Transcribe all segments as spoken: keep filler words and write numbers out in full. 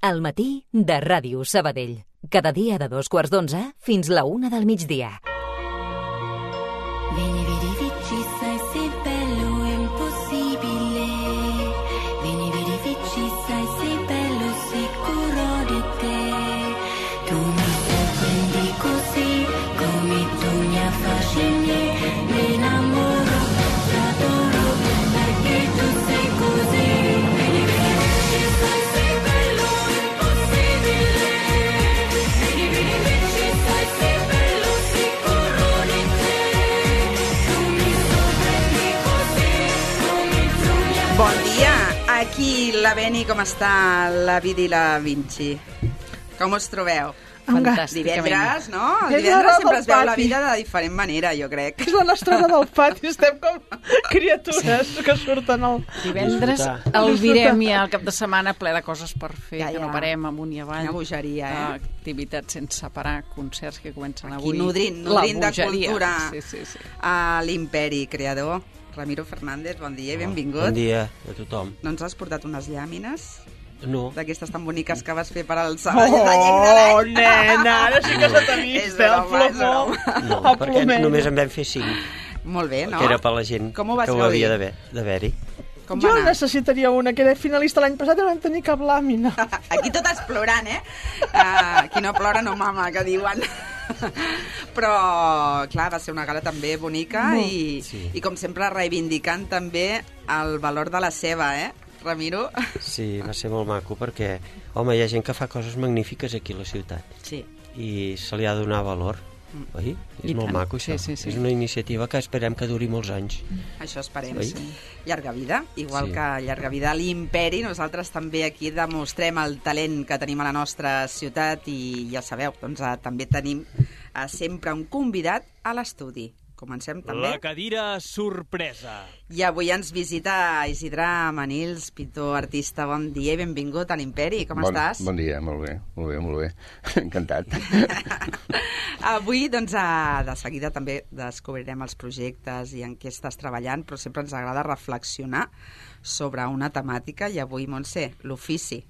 al matí de Ràdio Sabadell. Cada dia de dos quarts d'onze fins la una del migdia. Vieni, vedi, vici, sai se bello è impossibile. Vieni, vedi, vici, sai se bello sicuro di te. Tu mi sorprendi così, come tu mi affascini. Mi innamoro, ti adoro, perché tu sei così. Vieni, vedi, vici, sai se bello è impossibile. Vieni, vedi, vici, sai se bello sicuro di te. Bon dia, aquí la Beni, com està la Vidi i la Vinci? Com us trobeu? Fantàsticament. Divendres, no? El És divendres l'hora sempre del es veu la pati. vida de diferent manera, jo crec. És la nostra hora del pati, estem com criatures que surten al... Divendres Disfrutar. el virem i el cap de setmana ple de coses per fer, Ja, que ja. no parem amunt i avall. Quina bogeria, eh? Activitats sense parar, concerts que comencen Aquí avui. nodrint, La nodrint de bogeria. cultura Sí, sí, sí. a l'Imperi creador. Ramiro Fernández, bon dia i benvingut. Bon dia a tothom. No ens has portat unes llàmines No, d'aquestes tan boniques que vas fer per al Oh, Sabadell de lleng de l'any? nena, ara sí que És satanista, el broma, és plomó, broma. no, el perquè plomell. només en vam fer cinc, Molt bé, no? que era per la gent Com ho vas que ho gaudir? havia d'haver- d'haver-hi. Com Jo va anar? necessitaria una, que era finalista l'any passat i no vam tenir cap làmina. Aquí totes plorant, eh? Uh, qui no plora no mama, que diuen. Però, clar, va ser una gala també bonica i, Sí. i, com sempre, reivindicant també el valor de la ceba, eh, Ramiro? Sí, va ser molt maco perquè, home, hi ha gent que fa coses magnífiques aquí a la ciutat Sí. i se li ha de donar valor, oi? És I molt tant. maco, Sí, això. sí, sí. És una iniciativa que esperem que duri molts anys. Això esperem. Oi? Sí. Llarga vida, igual Sí. que llarga vida a l'Imperi. Nosaltres també aquí demostrem el talent que tenim a la nostra ciutat i ja sabeu, doncs eh, també tenim eh, sempre un convidat a l'estudi. Comencem també. La cadira sorpresa. I avui ens visita Isidre Manils, pintor, artista. Bon dia i benvingut a l'Imperi. Com bon, estàs? Bon dia, molt bé, molt bé, molt bé. Encantat. Avui, doncs, eh, de seguida també descobrirem els projectes i en què estàs treballant, però sempre ens agrada reflexionar sobre una temàtica i avui, Montse, l'ofici.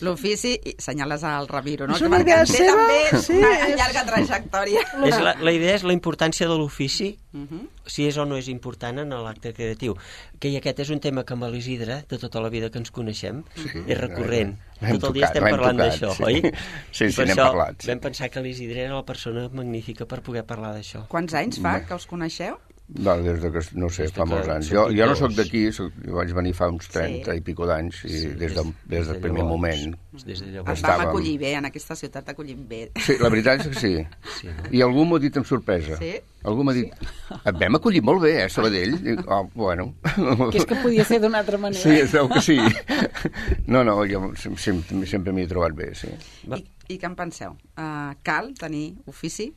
L'ofici, i senyales al Ramiro, no? És Que una perquè idea en té seva, també sí, una és- llarga trajectòria. És la, la idea és la importància de l'ofici, Mhm. si és o no és important en l'acte creatiu. Que i aquest és un tema que amb l'Isidre, de tota la vida que ens coneixem, és recurrent. L'hem Tot el dia tocat, estem l'hem parlant tocat, d'això, sí. oi? Sí, I sí, per n'hem això parlat, sí. vam pensar que l'Isidre era la persona magnífica per poder parlar d'això. Quants anys fa que us coneixeu? No, des de que, no sé, Des de fa que molts anys. som Jo, jo no pintors. sóc d'aquí, soc- jo vaig venir fa uns trenta Sí. i pico d'anys, i Sí, des, de, des del primer llavors. moment. Des de Es llavors. vam Estàvem- acollir bé, en aquesta ciutat t'acollim bé. Sí, la veritat és que sí. Sí, no? I algú m'ho ha dit amb sorpresa. Sí? Algú m'ha dit, et vam acollir molt bé, eh, Sabadell? Dic, oh, bueno. Que és que podia ser d'una altra manera. Sí, es veu que sí. No, no, jo sem- sempre, sempre m'hi he trobat bé, sí. Va. I, I què en penseu? Uh, cal tenir ofici?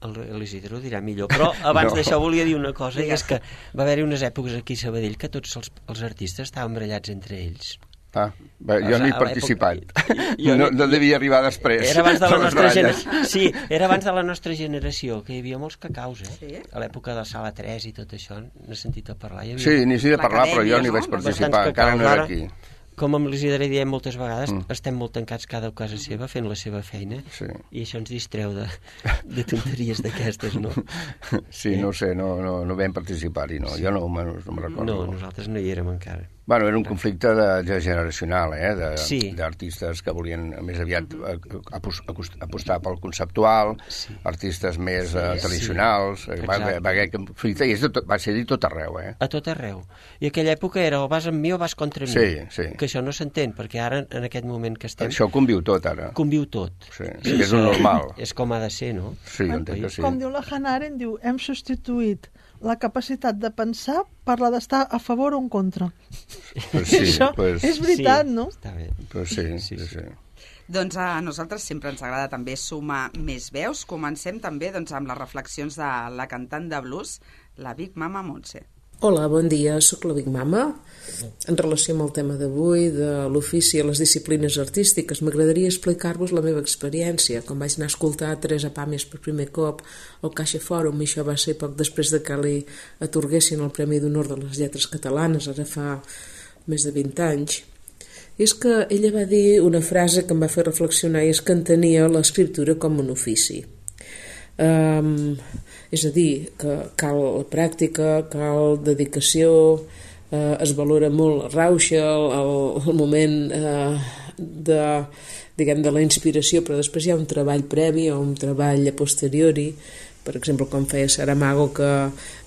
El- L'Isidre ho dirà millor, però abans No. d'això volia dir una cosa, i Digues. és que va haver-hi unes èpoques aquí a Sabadell que tots els, els artistes estaven barallats entre ells. Ah, bé, jo O no hi he sigui, a participat. l'època- jo No, no- no devia arribar després. Era abans de la Les nostra baralles. generació. Sí, era abans de la nostra generació, que hi havia molts cacaus, eh? Sí? A l'època de Sala tres i tot això, n'he sentit a parlar. Hi havia Sí, n'hi sé de parlar, però jo no hi L'acadèmia, vaig no? participar, bastants encara no cacaus. era Ara, aquí. Com amb l'Isidre diem moltes vegades, Mm. estem molt tancats cada a casa seva, fent la seva feina, Sí. i això ens distreu de, de tonteries d'aquestes, no? Sí, no ho sé, no, no, no vam participar-hi, no. Jo no, no, no me'n recordo. No, nosaltres no hi érem encara. Bueno, era un conflicte de, de generacional, eh? De, Sí. d'artistes que volien més aviat eh, apos- acost- apostar pel conceptual, Sí. artistes més eh, tradicionals. Sí. Eh, Va, Exacte. va, haver conflicte i és de tot, va ser dit tot arreu, eh? A tot arreu. I aquella època era o vas amb mi o vas contra mi. Sí, sí. Que això no s'entén, perquè ara, en aquest moment que estem, Això conviu tot, ara. conviu tot. Sí, sí, és un normal. És com ha de ser, no? Sí, jo entenc que sí. Com diu la Hannah Arendt, diu, hem substituït la capacitat de pensar per la d'estar a favor o en contra. Pues sí, Això pues, és veritat, sí, no? Està bé. pues sí, Sí, sí, sí. sí. Doncs a nosaltres sempre ens agrada també sumar més veus. Comencem també doncs, amb les reflexions de la cantant de blues, la Big Mama Montse. Hola, bon dia, sóc la Big Mama. En relació amb el tema d'avui, de l'ofici a les disciplines artístiques, m'agradaria explicar-vos la meva experiència. Quan vaig anar a escoltar Teresa Pàmies per primer cop al Caixa Fòrum, i això va ser poc després de que li atorguessin el Premi d'Honor de les Lletres Catalanes, ara fa més de vint anys, és que ella va dir una frase que em va fer reflexionar, i és que entenia l'escriptura com un ofici. Um, és a dir, que cal pràctica, cal dedicació, uh, es valora molt la rauxa, el, el moment uh, de, diguem, de la inspiració, però després hi ha un treball previ o un treball a posteriori. Per exemple, com feia Saramago, que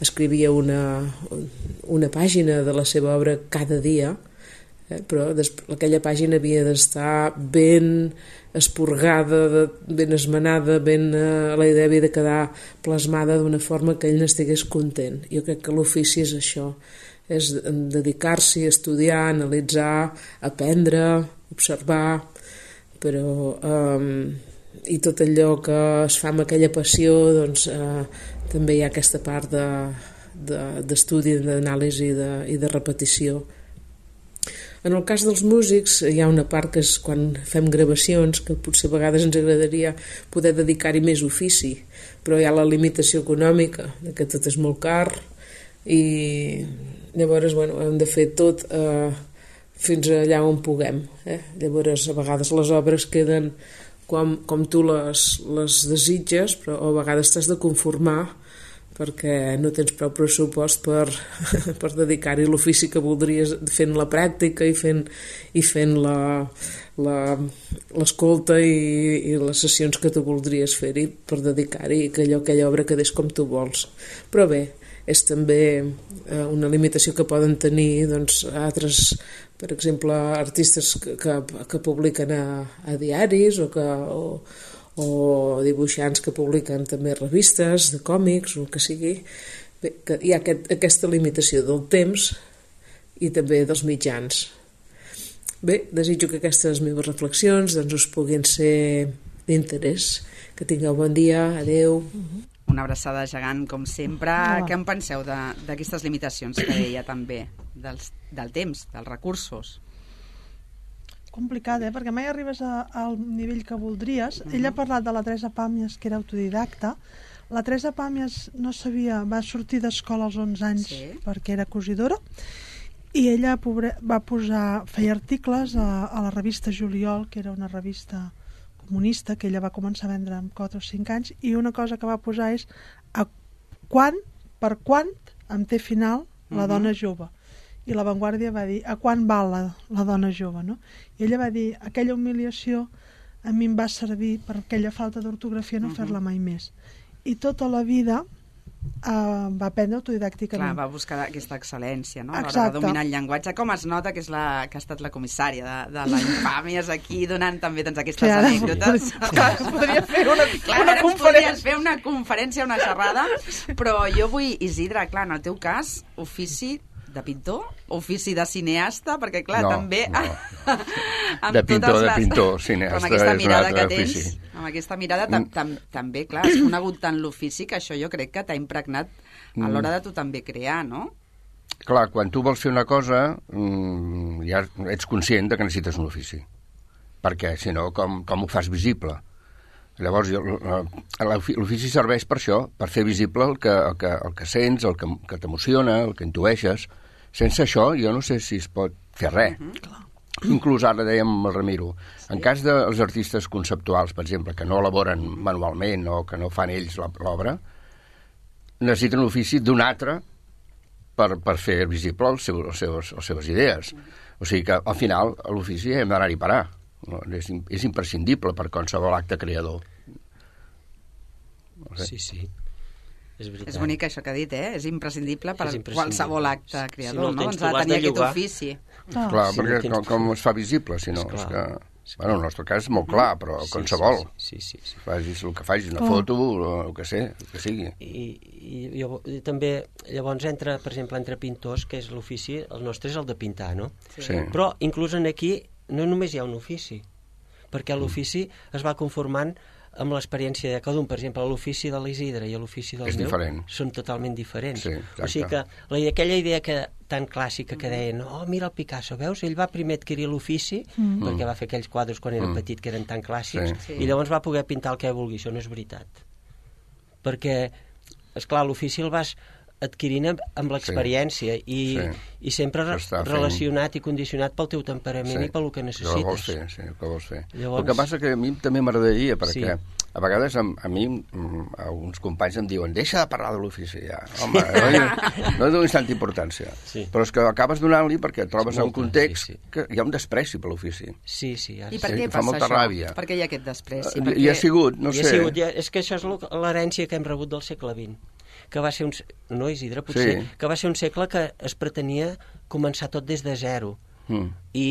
escrivia una, una pàgina de la seva obra cada dia, eh, però aquella pàgina havia d'estar ben esporgada, ben esmenada, ben, eh, la idea havia de quedar plasmada d'una forma que ell n'estigués content. Jo crec que l'ofici és això, és dedicar-s'hi a estudiar, analitzar, aprendre, observar, però eh, i tot allò que es fa amb aquella passió, doncs eh, també hi ha aquesta part de, de, d'estudi, d'anàlisi de, i de repetició. En el cas dels músics hi ha una part que és quan fem gravacions, que potser a vegades ens agradaria poder dedicar-hi més ofici, però hi ha la limitació econòmica, que tot és molt car, i llavors bueno, hem de fer tot eh, fins allà on puguem. Eh? Llavors a vegades les obres queden com, com tu les, les desitges, però a vegades t'has de conformar perquè no tens prou pressupost per, per dedicar-hi l'ofici que voldries, fent la pràctica i fent, i fent la, la, l'escolta i, i les sessions que tu voldries fer-hi per dedicar-hi i que allò, aquella obra quedés com tu vols. Però bé, és també eh, una limitació que poden tenir doncs, altres, per exemple, artistes que, que, que publiquen a, a diaris o que... O, o dibuixants que publiquen també revistes de còmics o el que sigui. Bé, que hi ha aquest, aquesta limitació del temps i també dels mitjans. Bé, desitjo que aquestes meves reflexions doncs, us puguin ser d'interès. Que tingueu bon dia, adeu. Una abraçada gegant, com sempre. Ah. Què en penseu de, d'aquestes limitacions que deia també, dels, del temps, dels recursos? Complicat, eh? Perquè mai arribes a, al nivell que voldries. Uh-huh. Ella ha parlat de la Teresa Pàmies, que era autodidacta. La Teresa Pàmies no sabia, va sortir d'escola als onze anys, sí, perquè era cosidora, i ella pobre, va posar, feia articles a, a la revista Juliol, que era una revista comunista que ella va començar a vendre amb quatre o cinc anys, i una cosa que va posar és a quan, per quant em té final la uh-huh. dona jove. I La Vanguardia va dir, a quan val la, la dona jove, no? I ella va dir, aquella humiliació a mi em va servir per aquella falta d'ortografia no uh-huh. fer-la mai més. I tota la vida uh, va aprendre autodidàcticament. Clar, va buscar aquesta excel·lència, no? A l'hora Exacte. de dominar el llenguatge. Com es nota que és la que ha estat la comissària de, de la Infàmies aquí, donant també doncs, aquestes Clar, anècdotes. Clar, podria fer una, clar, una conferència. fer una conferència, una xerrada, però jo vull, Isidre, clar, en el teu cas, ofici de pintor, ofici de cineasta, perquè clar, no, també no. amb de pintor, les... de pintor, cineasta amb aquesta és mirada un que altre tens, ofici. amb aquesta mirada tam, tam, també, clar, has conegut tant l'ofici que això jo crec que t'ha impregnat a l'hora de tu també crear, no? Clar, quan tu vols fer una cosa mmm, ja ets conscient de que necessites un ofici, perquè si no com, com ho fas visible? Llavors l'ofici serveix per això, per fer visible el que, el que, el que sents, el que, que t'emociona, el que intueixes. Sense això jo no sé si es pot fer res. Uh-huh. Inclús ara dèiem el Ramiro, sí. En cas dels artistes conceptuals, per exemple, que no elaboren manualment o que no fan ells l'obra, necessiten l'ofici d'un altre per, per fer visible els seus, els seus, les seves idees. O sigui que al final l'ofici hem d'anar-hi a parar. No, és, és imprescindible per qualsevol acte creador. No sé. Sí, sí. És veritat. És bonic això que ha dit, eh? És imprescindible per és imprescindible. Qualsevol acte creador, si no, no? Ens ha de tenir aquest ofici. Ah. Clar, Si perquè no tens... com, com es fa visible, si no? És que, és bueno, el nostre cas és molt clar, però sí, qualsevol. Sí, sí, sí, sí. Facis el que facis, una Oh. foto, el que sé, el que sigui. I, i, llavors, i també, llavors, entre, per exemple, entre pintors, que és l'ofici, el nostre és el de pintar, no? Sí. Sí. Però, inclús en aquí, no només hi ha un ofici, perquè l'ofici es va conformant amb l'experiència de cada un. Per exemple, l'ofici de l'Isidre i l'ofici del És meu diferent. són totalment diferents. Sí, o sigui que la, aquella idea que, tan clàssica que deien, oh, mira el Picasso, veus? Ell va primer adquirir l'ofici, mm. perquè va fer aquells quadres quan era Mm. petit que eren tan clàssics, Sí. Sí. i llavors va poder pintar el que vulgui. Això no és veritat. Perquè, esclar, l'ofici el vas adquirint amb, amb l'experiència sí, i, sí. i sempre re relacionat i condicionat pel teu temperament sí. i pel que necessites. Que vols fer, sí, que vols fer. Llavors... El que passa que a mi també m'agradaria, perquè sí. a vegades a, a mi alguns companys em diuen deixa de parlar de l'ofici ja. Home, no, no donis tanta importància. Sí. Però és que acabes donant-li perquè et trobes en un context sí, sí. que hi ha un despreci per l'ofici. Sí, sí. Ja. I per què sí, passa molta això? Ràbia. Per què hi ha aquest despreci? Uh, perquè... Hi ha sigut, no hi sé. Ha sigut, ja, és que això és l'herència que hem rebut del segle vint, que va ser un... No, Isidre, potser, sí. que va ser un segle que es pretenia començar tot des de zero. Mm. I,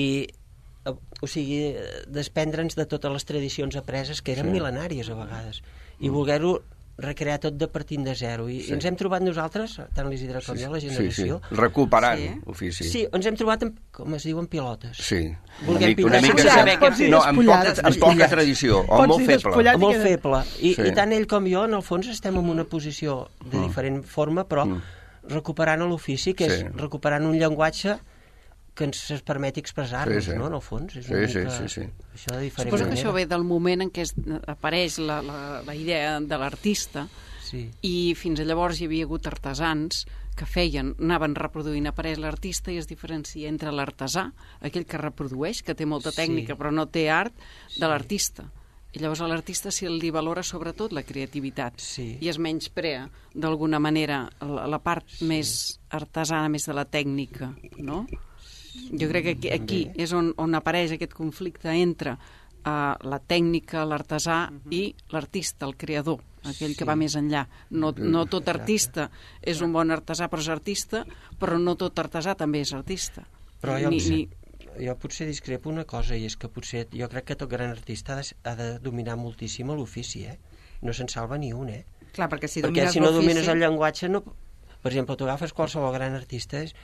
o sigui, desprendre'ns de totes les tradicions apreses, que eren sí. mil·lenàries a vegades, i mm. voler-ho recrear tot de partint de zero. I, sí. i ens hem trobat nosaltres, tant l'Isidre com sí, jo, la generació... Sí, sí. Recuperant sí. ofici. Sí, ens hem trobat, en, com es diuen, pilotes. Sí. Volguem una mica, una mica sí. No, amb poca, amb poca tradició, o molt feble. Molt feble. I, sí. I tant ell com jo, en el fons, estem en una posició de mm. diferent forma, però mm. recuperant l'ofici, que sí. és recuperant un llenguatge que ens es permeti expressar-nos, sí, sí. no?, en el fons. És una sí, mica... sí, sí, sí. Això de diferent Suposo manera. que això ve del moment en què es, apareix la, la, la idea de l'artista sí. i fins a llavors hi havia hagut artesans que feien, anaven reproduint, apareix l'artista i es diferencia entre l'artesà, aquell que reprodueix, que té molta tècnica sí. però no té art, de sí. l'artista. I llavors a l'artista si li valora sobretot la creativitat sí. i es menysprea d'alguna manera la, la part sí. més artesana, més de la tècnica, no? Jo crec que aquí, aquí és on, on apareix aquest conflicte entre uh, la tècnica, l'artesà uh-huh. i l'artista, el creador, aquell sí. que va més enllà. No, no tot artista és un bon artesà, però és artista, però no tot artesà també és artista. Però jo, ni, ni... jo potser discrepo una cosa, i és que potser jo crec que tot gran artista ha de, ha de dominar moltíssim l'ofici, eh? No se'n salva ni un, eh? Clar, perquè si, perquè si no domines el llenguatge, no... per exemple, tu agafes qualsevol gran artista... És...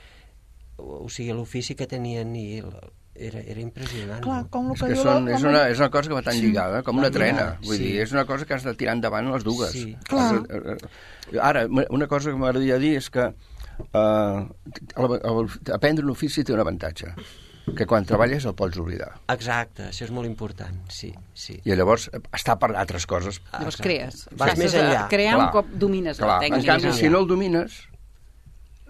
o sigui, l'ofici que tenien i era, era impressionant. Clar, com és, que són, és, una, és una cosa que va tan lligada, com una trena. Vull sí. dir, és una cosa que has de tirar endavant les dues. Sí. Clar. Ara, una cosa que m'agradaria dir és que uh, aprendre un ofici té un avantatge, que quan treballes el pots oblidar. Exacte, això és molt important, sí. sí. I llavors està per altres coses. Llavors crees. Vas més enllà. Crear un cop domines clar. la tècnica. En canvi, si no el domines...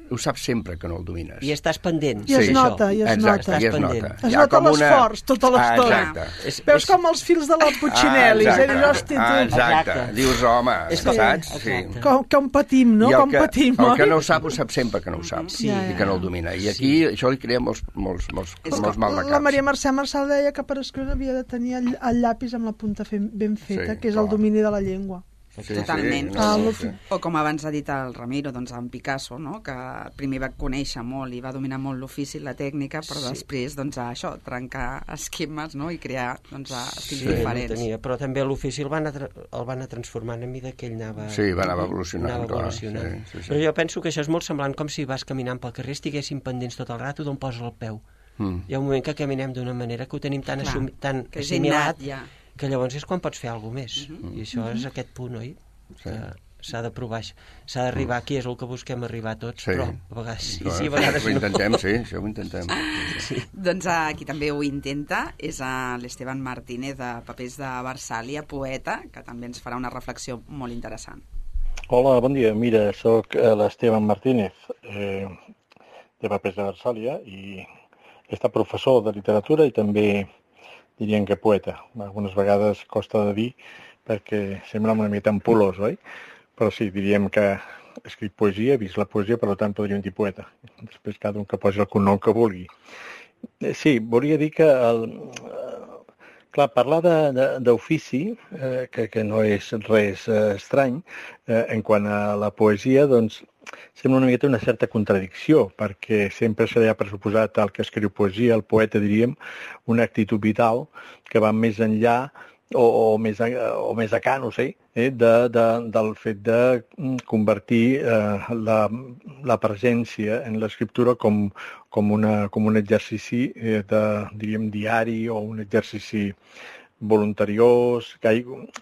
ho saps sempre que no el domines. I estàs pendent. I es sí. nota, i es exacte, nota. I es nota. Es nota l'esforç, una... tota l'estona. Ah, és, Veus és... com els fils de la Puccinelli. Ah, exacte. És hosti, ah, exacte. Dius, home, és com, saps? Sí. Com, com patim, no? Com que, patim, el que no ho sap, ho sap sempre que no ho sap. Sí. I que no el domina. I aquí sí. això li crea molts, molts, molts, molts mal de caps. La Maria Mercè Marçal deia que per escriure havia de tenir el, el llapis amb la punta ben feta, sí, que és el domini de la llengua. Sí, totalment. Sí, no, no, sí. O com abans ha dit el Ramiro, doncs en Picasso, no? Que primer va conèixer molt i va dominar molt l'ofici, la tècnica, però sí. després doncs, a això, trencar esquemes, no? I crear doncs, estils sí, diferents. No tenia, però també l'ofici el, van el van anar transformant a mesura que ell anava... Sí, va anar evolucionant. Anava evolucionant. Clar, sí, sí, sí. Però jo penso que això és molt semblant com si vas caminant pel carrer, estiguessin pendents tot el rato d'on poses el peu. Mm. Hi ha un moment que caminem d'una manera que ho tenim tan, clar, assumi, tan assimilat ja. que llavors és quan pots fer alguna més. Mm-hmm. I això és aquest punt, oi? Sí. S'ha de provar, s'ha d'arribar aquí, és el que busquem arribar tots, sí. però a vegades sí, sí, a vegades ho intentem, no. Sí, això ho intentem. Sí. Doncs uh, qui també ho intenta és uh, l'Esteban Martínez de Papers de Versàlia, poeta, que també ens farà una reflexió molt interessant. Hola, bon dia. Mira, sóc l'Esteban Martínez eh, de Papers de Versàlia i he estat professor de literatura i també diríem que poeta. Algunes vegades costa de dir perquè sembla una mica ampulós, oi? Però sí, diríem que escrit poesia, he vist la poesia, per tant podríem dir poeta. Després cada un que posi el cognom que vulgui. Sí, volia dir que, el, clar, parlar d'ofici, eh, que, que no és res eh, estrany, eh, en quant a la poesia, doncs, sembla una miqueta una certa contradicció, perquè sempre se li ha pressuposat al que escriu poesia, el poeta, diríem, una actitud vital que va més enllà O, o, més, o més acá, no sé, eh, de, de, del fet de convertir eh, la, la presència en l'escriptura com, com, una, com un exercici eh, de, diríem, diari o un exercici voluntariós,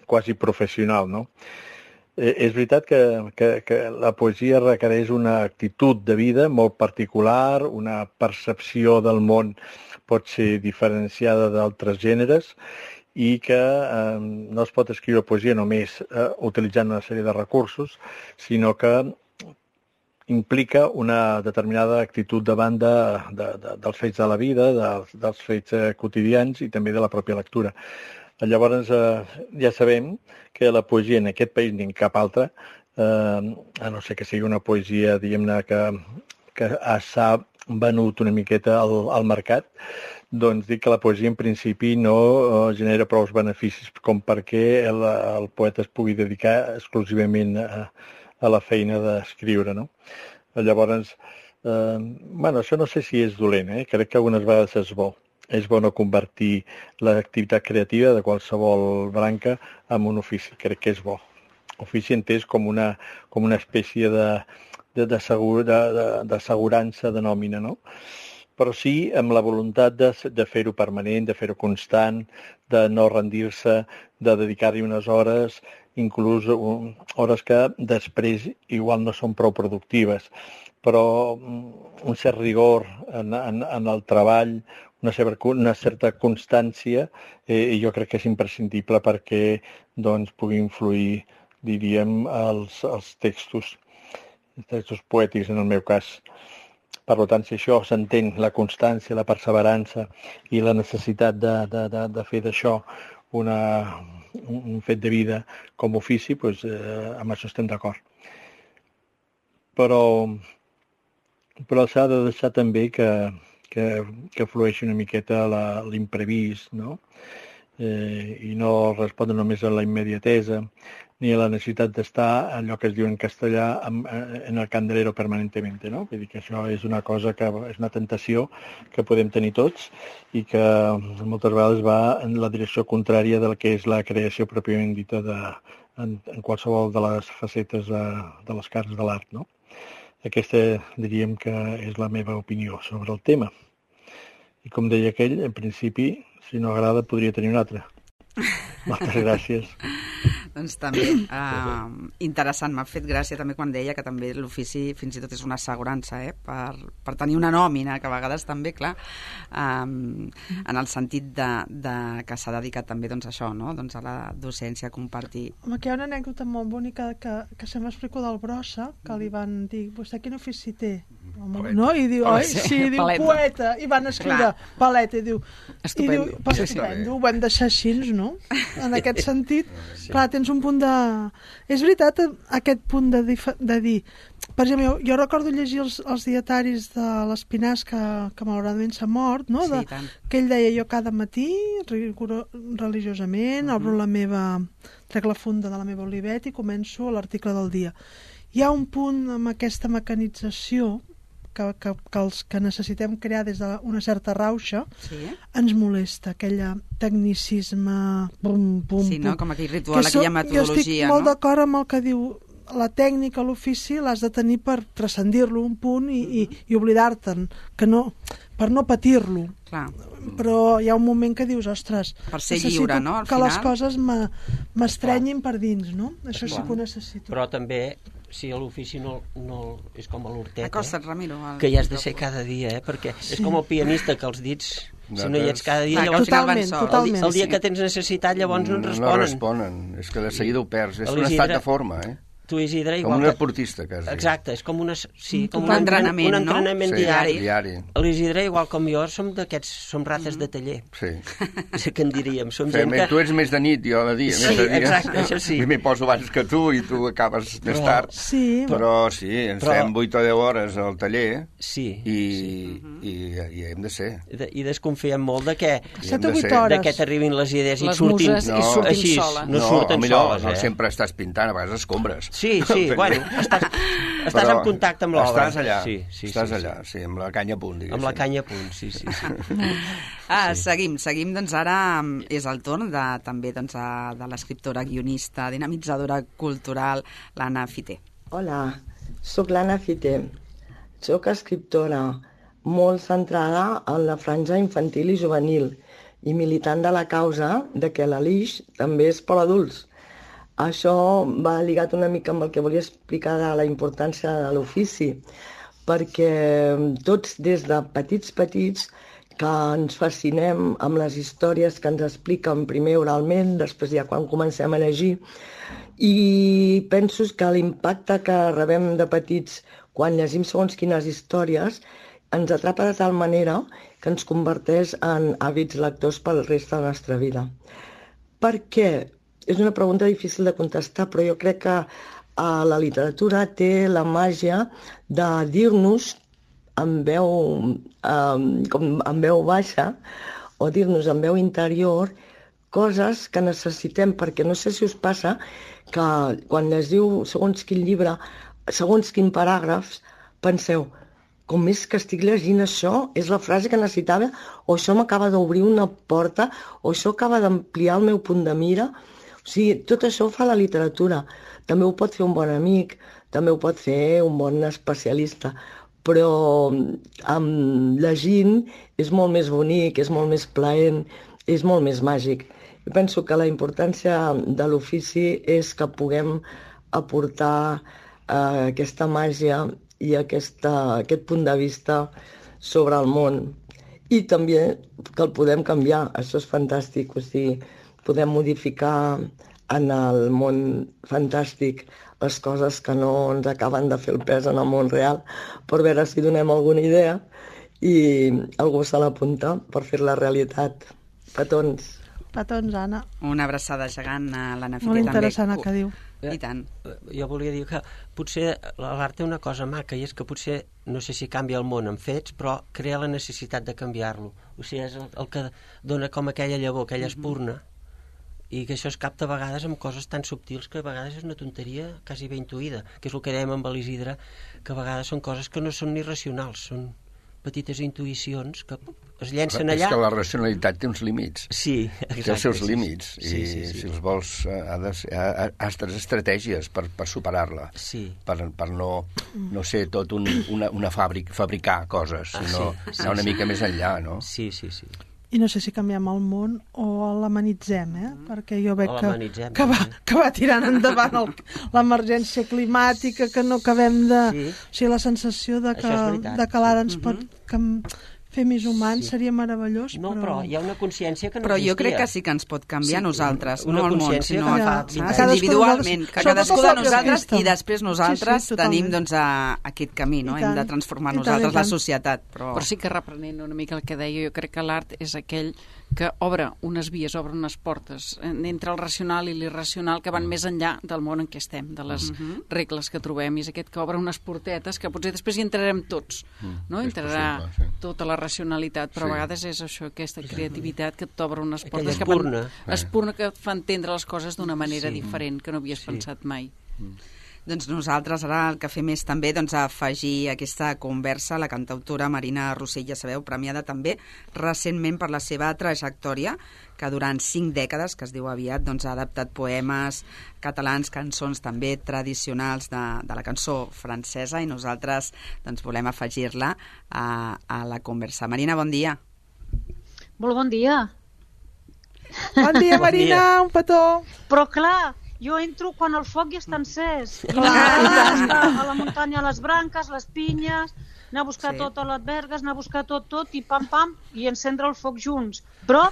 quasi professional, no? Eh, és veritat que, que, que la poesia requereix una actitud de vida molt particular, una percepció del món pot ser diferenciada d'altres gèneres, i que eh, no es pot escriure poesia només eh, utilitzant una sèrie de recursos, sinó que implica una determinada actitud davant de, de, de, dels fets de la vida, de, dels fets eh, quotidians i també de la pròpia lectura. Llavors, eh, ja sabem que la poesia en aquest país ni en cap altre, eh, a no ser que sigui una poesia, diguem-ne, que, que s'ha venut una miqueta al, al mercat, doncs dic que la poesia en principi no eh, genera prou beneficis com perquè el, el poeta es pugui dedicar exclusivament a, a la feina d'escriure, no? Llavors, eh, bueno, això no sé si és dolent, eh? Crec que algunes vegades és bo. És bo no convertir l'activitat creativa de qualsevol branca en un ofici, crec que és bo. Ofici entès com una, com una espècie de, de, de, segur, de, de, d'assegurança de nòmina, no? Però sí amb la voluntat de, de fer-ho permanent, de fer-ho constant, de no rendir-se, de dedicar-hi unes hores, inclús hores que després igual no són prou productives, però un cert rigor en, en, en el treball, una certa, una certa constància, eh, jo crec que és imprescindible perquè doncs, pugui influir, diríem, els, els textos, els textos poètics en el meu cas. Per tant, si això s'entén, la constància, la perseverança i la necessitat de, de, de, de fer d'això una, un fet de vida com a ofici, doncs, eh, amb això estem d'acord. Però, però s'ha de deixar també que, que, que flueixi una miqueta la, l'imprevist, no? Eh, i no respondre només a la immediatesa ni a la necessitat d'estar, allò que es diu en castellà, en, en el candelero permanentment, no? Vull dir que això és una cosa que és una tentació que podem tenir tots i que moltes vegades va en la direcció contrària del que és la creació pròpiament dita de, en, en qualsevol de les facetes de, de les cares de l'art, no? Aquesta diríem que és la meva opinió sobre el tema. I com deia aquell, en principi, si no agrada, podria tenir un altre. Moltes gràcies. Doncs també, uh, interessant, m'ha fet gràcia també quan deia que també l'ofici fins i tot és una assegurança, eh? per, per tenir una nòmina, que a vegades també, clar, um, en el sentit de, de que s'ha dedicat també doncs, a això, no? Doncs a la docència, a compartir. Home, que hi ha una anècdota molt bonica que, que sempre explico del Brossa, que li van dir, vostè quin ofici té? Home, no? I diu, oi? Sí, diu, paleta. Poeta, i van escriure Clar. Paleta, i diu, Estupendo. i diu, pues, estupendo, ho vam deixar així, no? En aquest sentit, sí. Clar, tens un punt de... És veritat, aquest punt de, dif... de dir... Per exemple, jo, jo recordo llegir els, els dietaris de l'Espinàs, que, que malauradament s'ha mort, no? De, Sí, que ell deia, jo cada matí, rigoro, religiosament, uh-huh. obro la meva... trec la funda de la meva olivet i començo l'article del dia. Hi ha un punt amb aquesta mecanització que, que, que els que necessitem crear des d'una certa rauxa, sí. ens molesta, aquella tecnicisme pum, pum, sí, no? pum. Com aquell ritual, so, aquella metodologia. Jo estic molt no? d'acord amb el que diu la tècnica, l'ofici, l'has de tenir per transcendir-lo un punt i, i, i oblidar-te'n, que no, per no patir-lo. Clar. Però hi ha un moment que dius, ostres, per ser lliure, no? Al que final... les coses m'estrenyin per dins, no? Això sí que ho necessito. Però també, si l'ofici no, no és com a l'hortet, Acosta't, Ramiro, el... que hi has de ser cada dia, eh? Perquè sí. és com el pianista, que els dits, si no hi ets cada dia, Clar, llavors totalment, el, totalment, el dia que tens necessitat, llavors no et responen. No responen, és que de seguida ho perds, és un estat de forma, eh? Tu, Isidre, igual com un que... esportista, quasi. Exacte, és com, una, sí, com un, un entrenament, un entrenament no? diari. Sí, diari. L'Isidre, igual com jo, som d'aquests, som rates mm. de taller. Sí. És que en diríem. Som Fem, gent que... Tu ets més de nit, jo de dia. Sí, més de dia. exacte, això sí. M'hi poso abans que tu i tu acabes però, més tard. Sí. Però sí, ens però... fem vuit o deu hores al taller sí, i, sí. i, i hem de ser. I, de, i desconfiem molt de que, set o vuit hores. de que t'arribin les idees les i surtin, muses, no, i surtin així, soles. no, no surten millor, soles. No eh? sempre estàs pintant, a vegades escombres. Sí, sí, bueno, estàs, estàs en contacte amb l'obra. Estàs allà, sí, sí, estàs sí, allà, sí, amb la canya a punt, diguéssim. Amb la canya a punt, sí, sí. sí. Ah, sí. seguim, seguim, doncs ara és el torn de, també doncs, a, de l'escriptora, guionista, dinamitzadora cultural, l'Anna Fité. Hola, sóc l'Anna Fité. Sóc escriptora molt centrada en la franja infantil i juvenil i militant de la causa de que l'Alix també és per adults. Això va lligat una mica amb el que volia explicar de la importància de l'ofici, perquè tots des de petits petits que ens fascinem amb les històries que ens expliquen primer oralment, després ja quan comencem a llegir, i penso que l'impacte que rebem de petits quan llegim segons quines històries, ens atrapa de tal manera que ens converteix en hàbits lectors pel resta de la nostra vida. Per què? És una pregunta difícil de contestar, però jo crec que eh, la literatura té la màgia de dir-nos amb veu, eh, com amb veu baixa o dir-nos amb veu interior coses que necessitem, perquè no sé si us passa que quan llegiu segons quin llibre, segons quin paràgrafs, penseu, com és que estic llegint això, és la frase que necessitava, o això m'acaba d'obrir una porta, o això acaba d'ampliar el meu punt de mira. O sigui, tot això ho fa la literatura. També ho pot fer un bon amic, també ho pot fer un bon especialista, però amb llegint és molt més bonic, és molt més plaent, és molt més màgic. Jo penso que la importància de l'ofici és que puguem aportar eh, aquesta màgia i aquesta, aquest punt de vista sobre el món. I també que el podem canviar, això és fantàstic, o sigui, podem modificar en el món fantàstic les coses que no ens acaben de fer el pes en el món real, per veure si donem alguna idea i algú se l'apunta per fer la realitat. Petons. Petons, Anna. Una abraçada gegant a l'Anna Fiter. Molt interessant el que diu. I tant. Jo volia dir que potser l'art té una cosa maca, i és que potser, no sé si canvia el món en fets, però crea la necessitat de canviar-lo. O sigui, és el, el que dona com aquella llavor, aquella espurna, i que això es capta a vegades amb coses tan subtils que a vegades és una tonteria quasi ben intuïda, que és el que dèiem amb l'Isidre, que a vegades són coses que no són ni racionals, són petites intuïcions que es llencen allà. És que la racionalitat té uns límits. Sí, exacte. Té els seus límits. Sí, sí, I sí, sí. si els vols, ha de ser, ha, ha de tenir estratègies per, per superar-la. Sí. Per, per no, no ser tot un, una, una fàbrica, fabricar coses, sinó ah, sí, sí, anar una sí. mica més enllà, no? Sí, sí, sí. I no sé si canviem el món o l'amenitzem, eh? Perquè jo veig que, que, va, que va tirant endavant el, l'emergència climàtica, que no acabem de... Sí. O sigui, la sensació de que, de que l'ara ens pot... Que, fer més humans, sí. Seria meravellós, no, però... però hi ha una consciència que no però existia. jo crec que sí que ens pot canviar sí, nosaltres, una no el món, sinó que ja, fa, individualment, que cadascú de nosaltres aquesta. i després nosaltres sí, sí, tenim doncs, a, aquest camí, no? Hem de transformar nosaltres la societat. Però... però sí que reprenent una mica el que deia, jo crec que l'art és aquell que obre unes vies, obre unes portes entre el racional i l'irracional que van més enllà del món en què estem, de les uh-huh. regles que trobem, i és aquest que obre unes portetes que potser després hi entrarem tots, no? Entrarà possible, sí. tota la racionalitat, però sí. a vegades és això, aquesta creativitat que t'obre unes portes, que fan, espurna que et fa entendre les coses d'una manera sí. diferent, que no havies sí. pensat mai. Mm. Doncs nosaltres ara el que fem és també doncs, afegir aquesta conversa a la cantautora Marina Rossell, ja sabeu, premiada també recentment per la seva trajectòria, que durant cinc dècades, que es diu aviat, doncs, ha adaptat poemes catalans, cançons també tradicionals de, de la cançó francesa, i nosaltres doncs, volem afegir-la a, a la conversa. Marina, bon dia. Molt bon dia. Bon dia, Marina, bon dia. Un petó. Però clar, jo entro quan el foc ja està encès. I a la muntanya, les branques, les pinyes, anar a buscar sí. tot a les vergues, anar a buscar tot, tot, i pam, pam, i encendre el foc junts. Però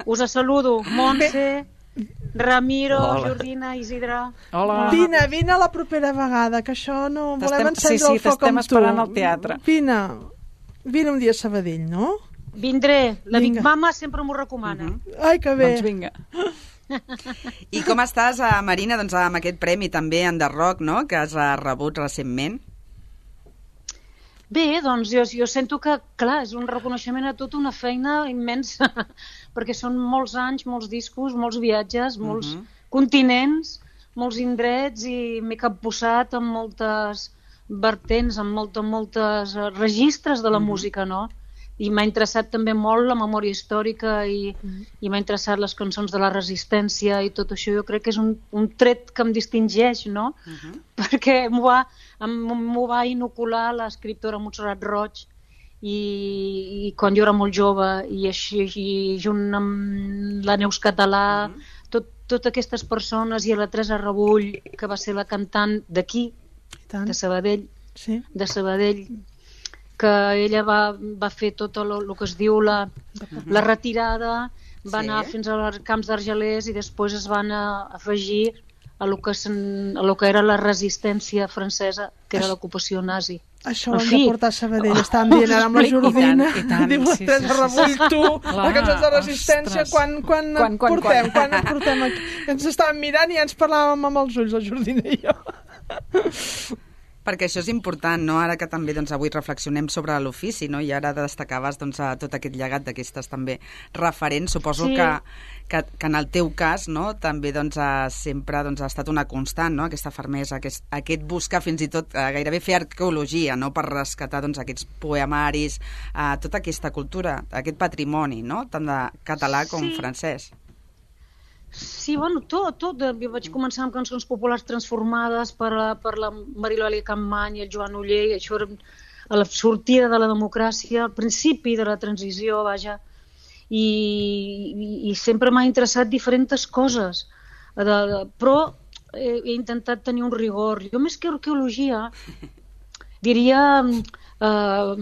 us saludo, Montse, Ramiro, Hola. Jordina, Isidre. Hola. Vine, vine la propera vegada, que això no... Volem encendre sí, sí, el foc amb tu. Sí, sí, t'estem esperant al teatre. Vine, vine un dia a Sabadell, no? Vindré, la Big Mama sempre m'ho recomana. Uh-huh. Ai, que bé. Doncs vinga. I com estàs, Marina, doncs, amb aquest premi també en The Rock, no?, que has rebut recentment? Bé, doncs jo, jo sento que, clar, és un reconeixement a tota una feina immensa, perquè són molts anys, molts discos, molts viatges, molts uh-huh. continents, molts indrets, i m'he capbussat amb moltes vertents, amb moltes, moltes registres de la uh-huh. música, no? I m'ha interessat també molt la memòria històrica i, mm. i m'ha interessat les cançons de la resistència i tot això. Jo crec que és un, un tret que em distingeix, no? Uh-huh. Perquè m'ho va, m'ho va inocular l'escriptora Montserrat Roig i, i quan jo era molt jove, i així i junt amb la Neus Català, uh-huh. tot, totes aquestes persones, i a la Teresa Rebull, que va ser la cantant d'aquí, de Sabadell, sí. de Sabadell, que ella va, va fer tot el, el que es diu la, la retirada, va sí. anar fins als camps d'Argelers i després es van a, afegir a lo que, sen, a lo que era la resistència francesa, que era l'ocupació nazi. Això ho hem de portar a Sabadell. Estàvem dient ara amb la Jordina. I tant, diu la Teresa Rebull, tu, les cançons de resistència, quan, quan, quan, quan portem? Quan, quan portem aquí? Ens estàvem mirant i ja ens parlàvem amb els ulls, la Jordina i jo. Perquè això és important, no? Ara que també doncs, avui reflexionem sobre l'ofici, no? I ara destacaves doncs, tot aquest llegat d'aquestes també referents. Suposo sí. que, que, que en el teu cas no? també doncs, sempre doncs, ha estat una constant, no? Aquesta fermesa, aquest, aquest buscar fins i tot eh, gairebé fer arqueologia, no? Per rescatar doncs, aquests poemaris, eh, tota aquesta cultura, aquest patrimoni, no? Tant de català com sí. francès. Sí, bueno, tot, tot. Jo vaig començar amb cançons populars transformades per la, per la Marilòlia Campmany i el Joan Oller, això era a la sortida de la democràcia, al principi de la transició, vaja, i, i, i sempre m'ha interessat diferents coses, de, de, però he, he intentat tenir un rigor. Jo més que arqueologia diria eh,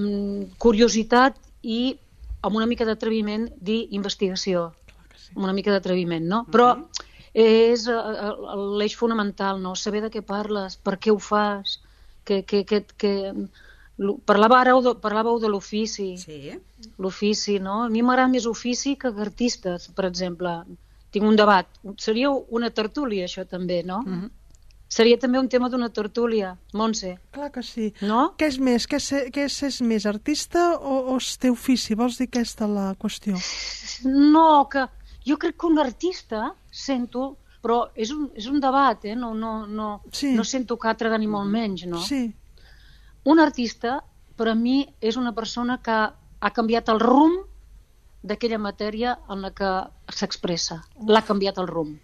curiositat i amb una mica d'atreviment dir investigació. Una mica d'atreviment, no? Però és l'eix fonamental, no? Saber de què parles, per què ho fas, que, que, que, que... Parlàveu de, parlàveu de l'ofici, sí. L'ofici, no? A mi m'agrada més ofici que artistes, per exemple. Tinc un debat. Seria una tertúlia, això també, no? Mm-hmm. Seria també un tema d'una tertúlia, Montse. Clar que sí. No? Què és més? Què és, què és, és més, artista o, o és teu ofici? Vols dir aquesta la qüestió? No, que... Jo crec que un artista, sento, però és un, és un debat, eh? no, no, no, sí. no sento càtedra ni molt menys, no? Sí. Un artista, per a mi, és una persona que ha canviat el rumb d'aquella matèria en la que s'expressa. L'ha canviat el rumb.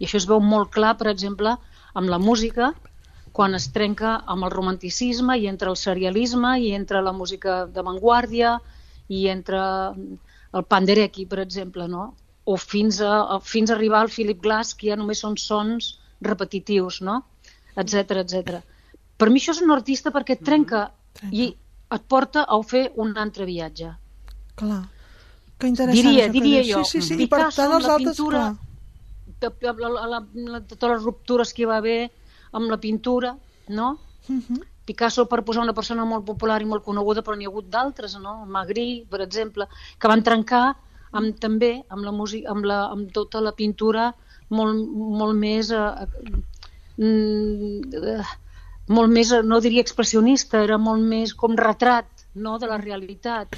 I això es veu molt clar, per exemple, amb la música, quan es trenca amb el romanticisme i entre el serialisme i entre la música d'avantguàrdia i entre el Penderecki, per exemple, no? O fins a, fins a arribar al Philip Glass, que ja només són sons repetitius, no? Etcètera, etcètera. Per mi això és un artista perquè et trenca, mm-hmm. i et porta a fer un altre viatge. Clar. Que interessant. Diria, diria jo. Sí, sí, sí. Picasso, amb la altres, pintura, de, de, la, la, la, totes les ruptures que hi va haver amb la pintura, no? Mm-hmm. Picasso, per posar una persona molt popular i molt coneguda, però n'hi ha hagut d'altres, no? Magritte, per exemple, que van trencar amb, també amb la música, amb, la, amb tota la pintura molt, molt més eh, eh, molt més, no diria expressionista, era molt més com retrat, no?, de la realitat,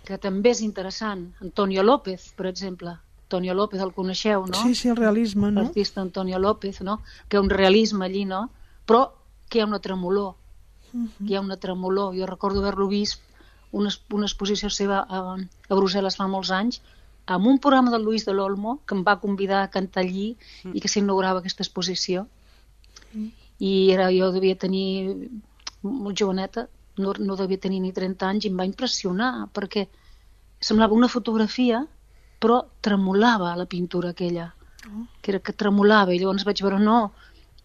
que també és interessant. Antonio López, per exemple. Antonio López, el coneixeu, no? Sí, sí, el realisme, no? L'artista Antonio López, no? Que hi ha un realisme allí, no? Però que hi ha una tremolor, uh-huh. que hi ha una tremolor. Jo recordo haver-lo vist una, una exposició seva a, a Brussel·les fa molts anys, amb un programa de Luis de l'Olmo, que em va convidar a cantar allí uh-huh. i que s'inaugurava aquesta exposició. Uh-huh. I era, jo devia tenir molt joveneta, no, no devia tenir ni trenta anys, i em va impressionar, perquè semblava una fotografia, però tremolava la pintura aquella, uh-huh. que era que tremolava, i llavors vaig veure, no,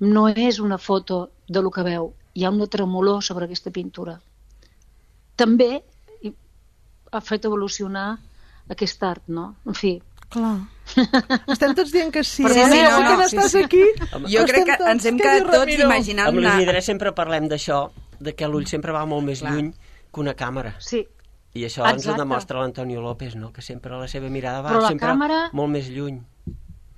no és una foto de lo que veu, hi ha una tremolor sobre aquesta pintura. També ha fet evolucionar aquest art, no? En fi. Clar. Estem tots dient que sí, Però eh? sí, no, no, no, no, sí, estàs sí. aquí. Jo crec que ens hem quedat tots imaginant... Amb l'Ull Vidre sempre parlem d'això, de que l'ull sempre va molt més Clar. lluny que una càmera. Sí. I això Exacte. ens ho demostra l'Antonio López, no? Que sempre la seva mirada va la sempre càmera... molt més lluny.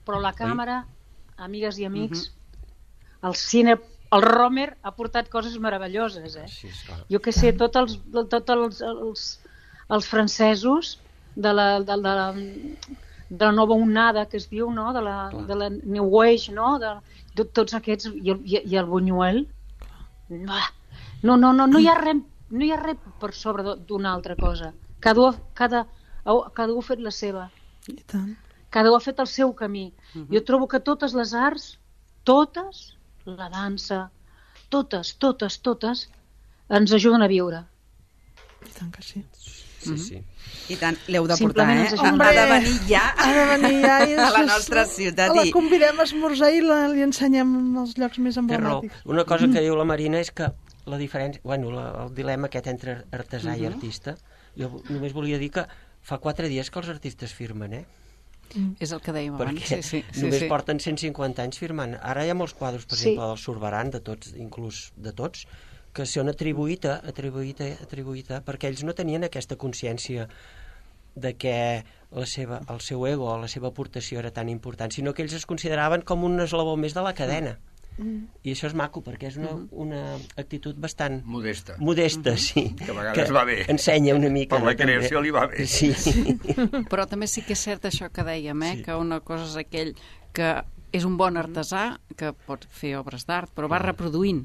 Però la càmera, Oi? amigues i amics, uh-huh. el cine... El Romer ha portat coses meravelloses, eh? Sí, jo que sé, tots els, tot els, els, els francesos de la, de, la, de la nova onada que es diu, no? De la, de la New Age, no? De, de tots aquests, i el, i, i el Buñuel. No, no, no, no hi ha res, no hi ha res per sobre d'una altra cosa. Cada, cada, cada un ha fet la seva. I tant. Cada un ha fet el seu camí. Uh-huh. Jo trobo que totes les arts, totes, la dansa, totes, totes, totes, ens ajuden a viure. I tant que sí. Sí, sí. I tant, l'heu de portar, eh? Hombre, ha de venir ja, ha de venir ja i a la nostra ciutat. La convidem a esmorzar i la, li ensenyem els llocs més emblemàtics. Una cosa que diu la Marina és que la diferència, bueno, la, el dilema aquest entre artesà uh-huh. i artista, jo només volia dir que fa quatre dies que els artistes firmen, eh? Mm. És el que dèiem abans. Perquè sí, sí, sí, només sí. porten cent cinquanta anys firmant. Ara hi ha molts quadres, per Sí. exemple, del Zurbarán, de tots, inclús de tots, que són atribuïta, atribuïta, atribuïta, perquè ells no tenien aquesta consciència de que la seva, el seu ego o la seva aportació era tan important, sinó que ells es consideraven com un eslabó més de la cadena. Mm. I això és maco, perquè és una, una actitud bastant... Modesta. Modesta, Mm-hmm. sí. Que a vegades va bé. Ensenya una mica. Per la creació li va bé. Sí. Però també sí que és cert això que dèiem, eh? Sí. Que una cosa és aquell que és un bon artesà, que pot fer obres d'art, però va reproduint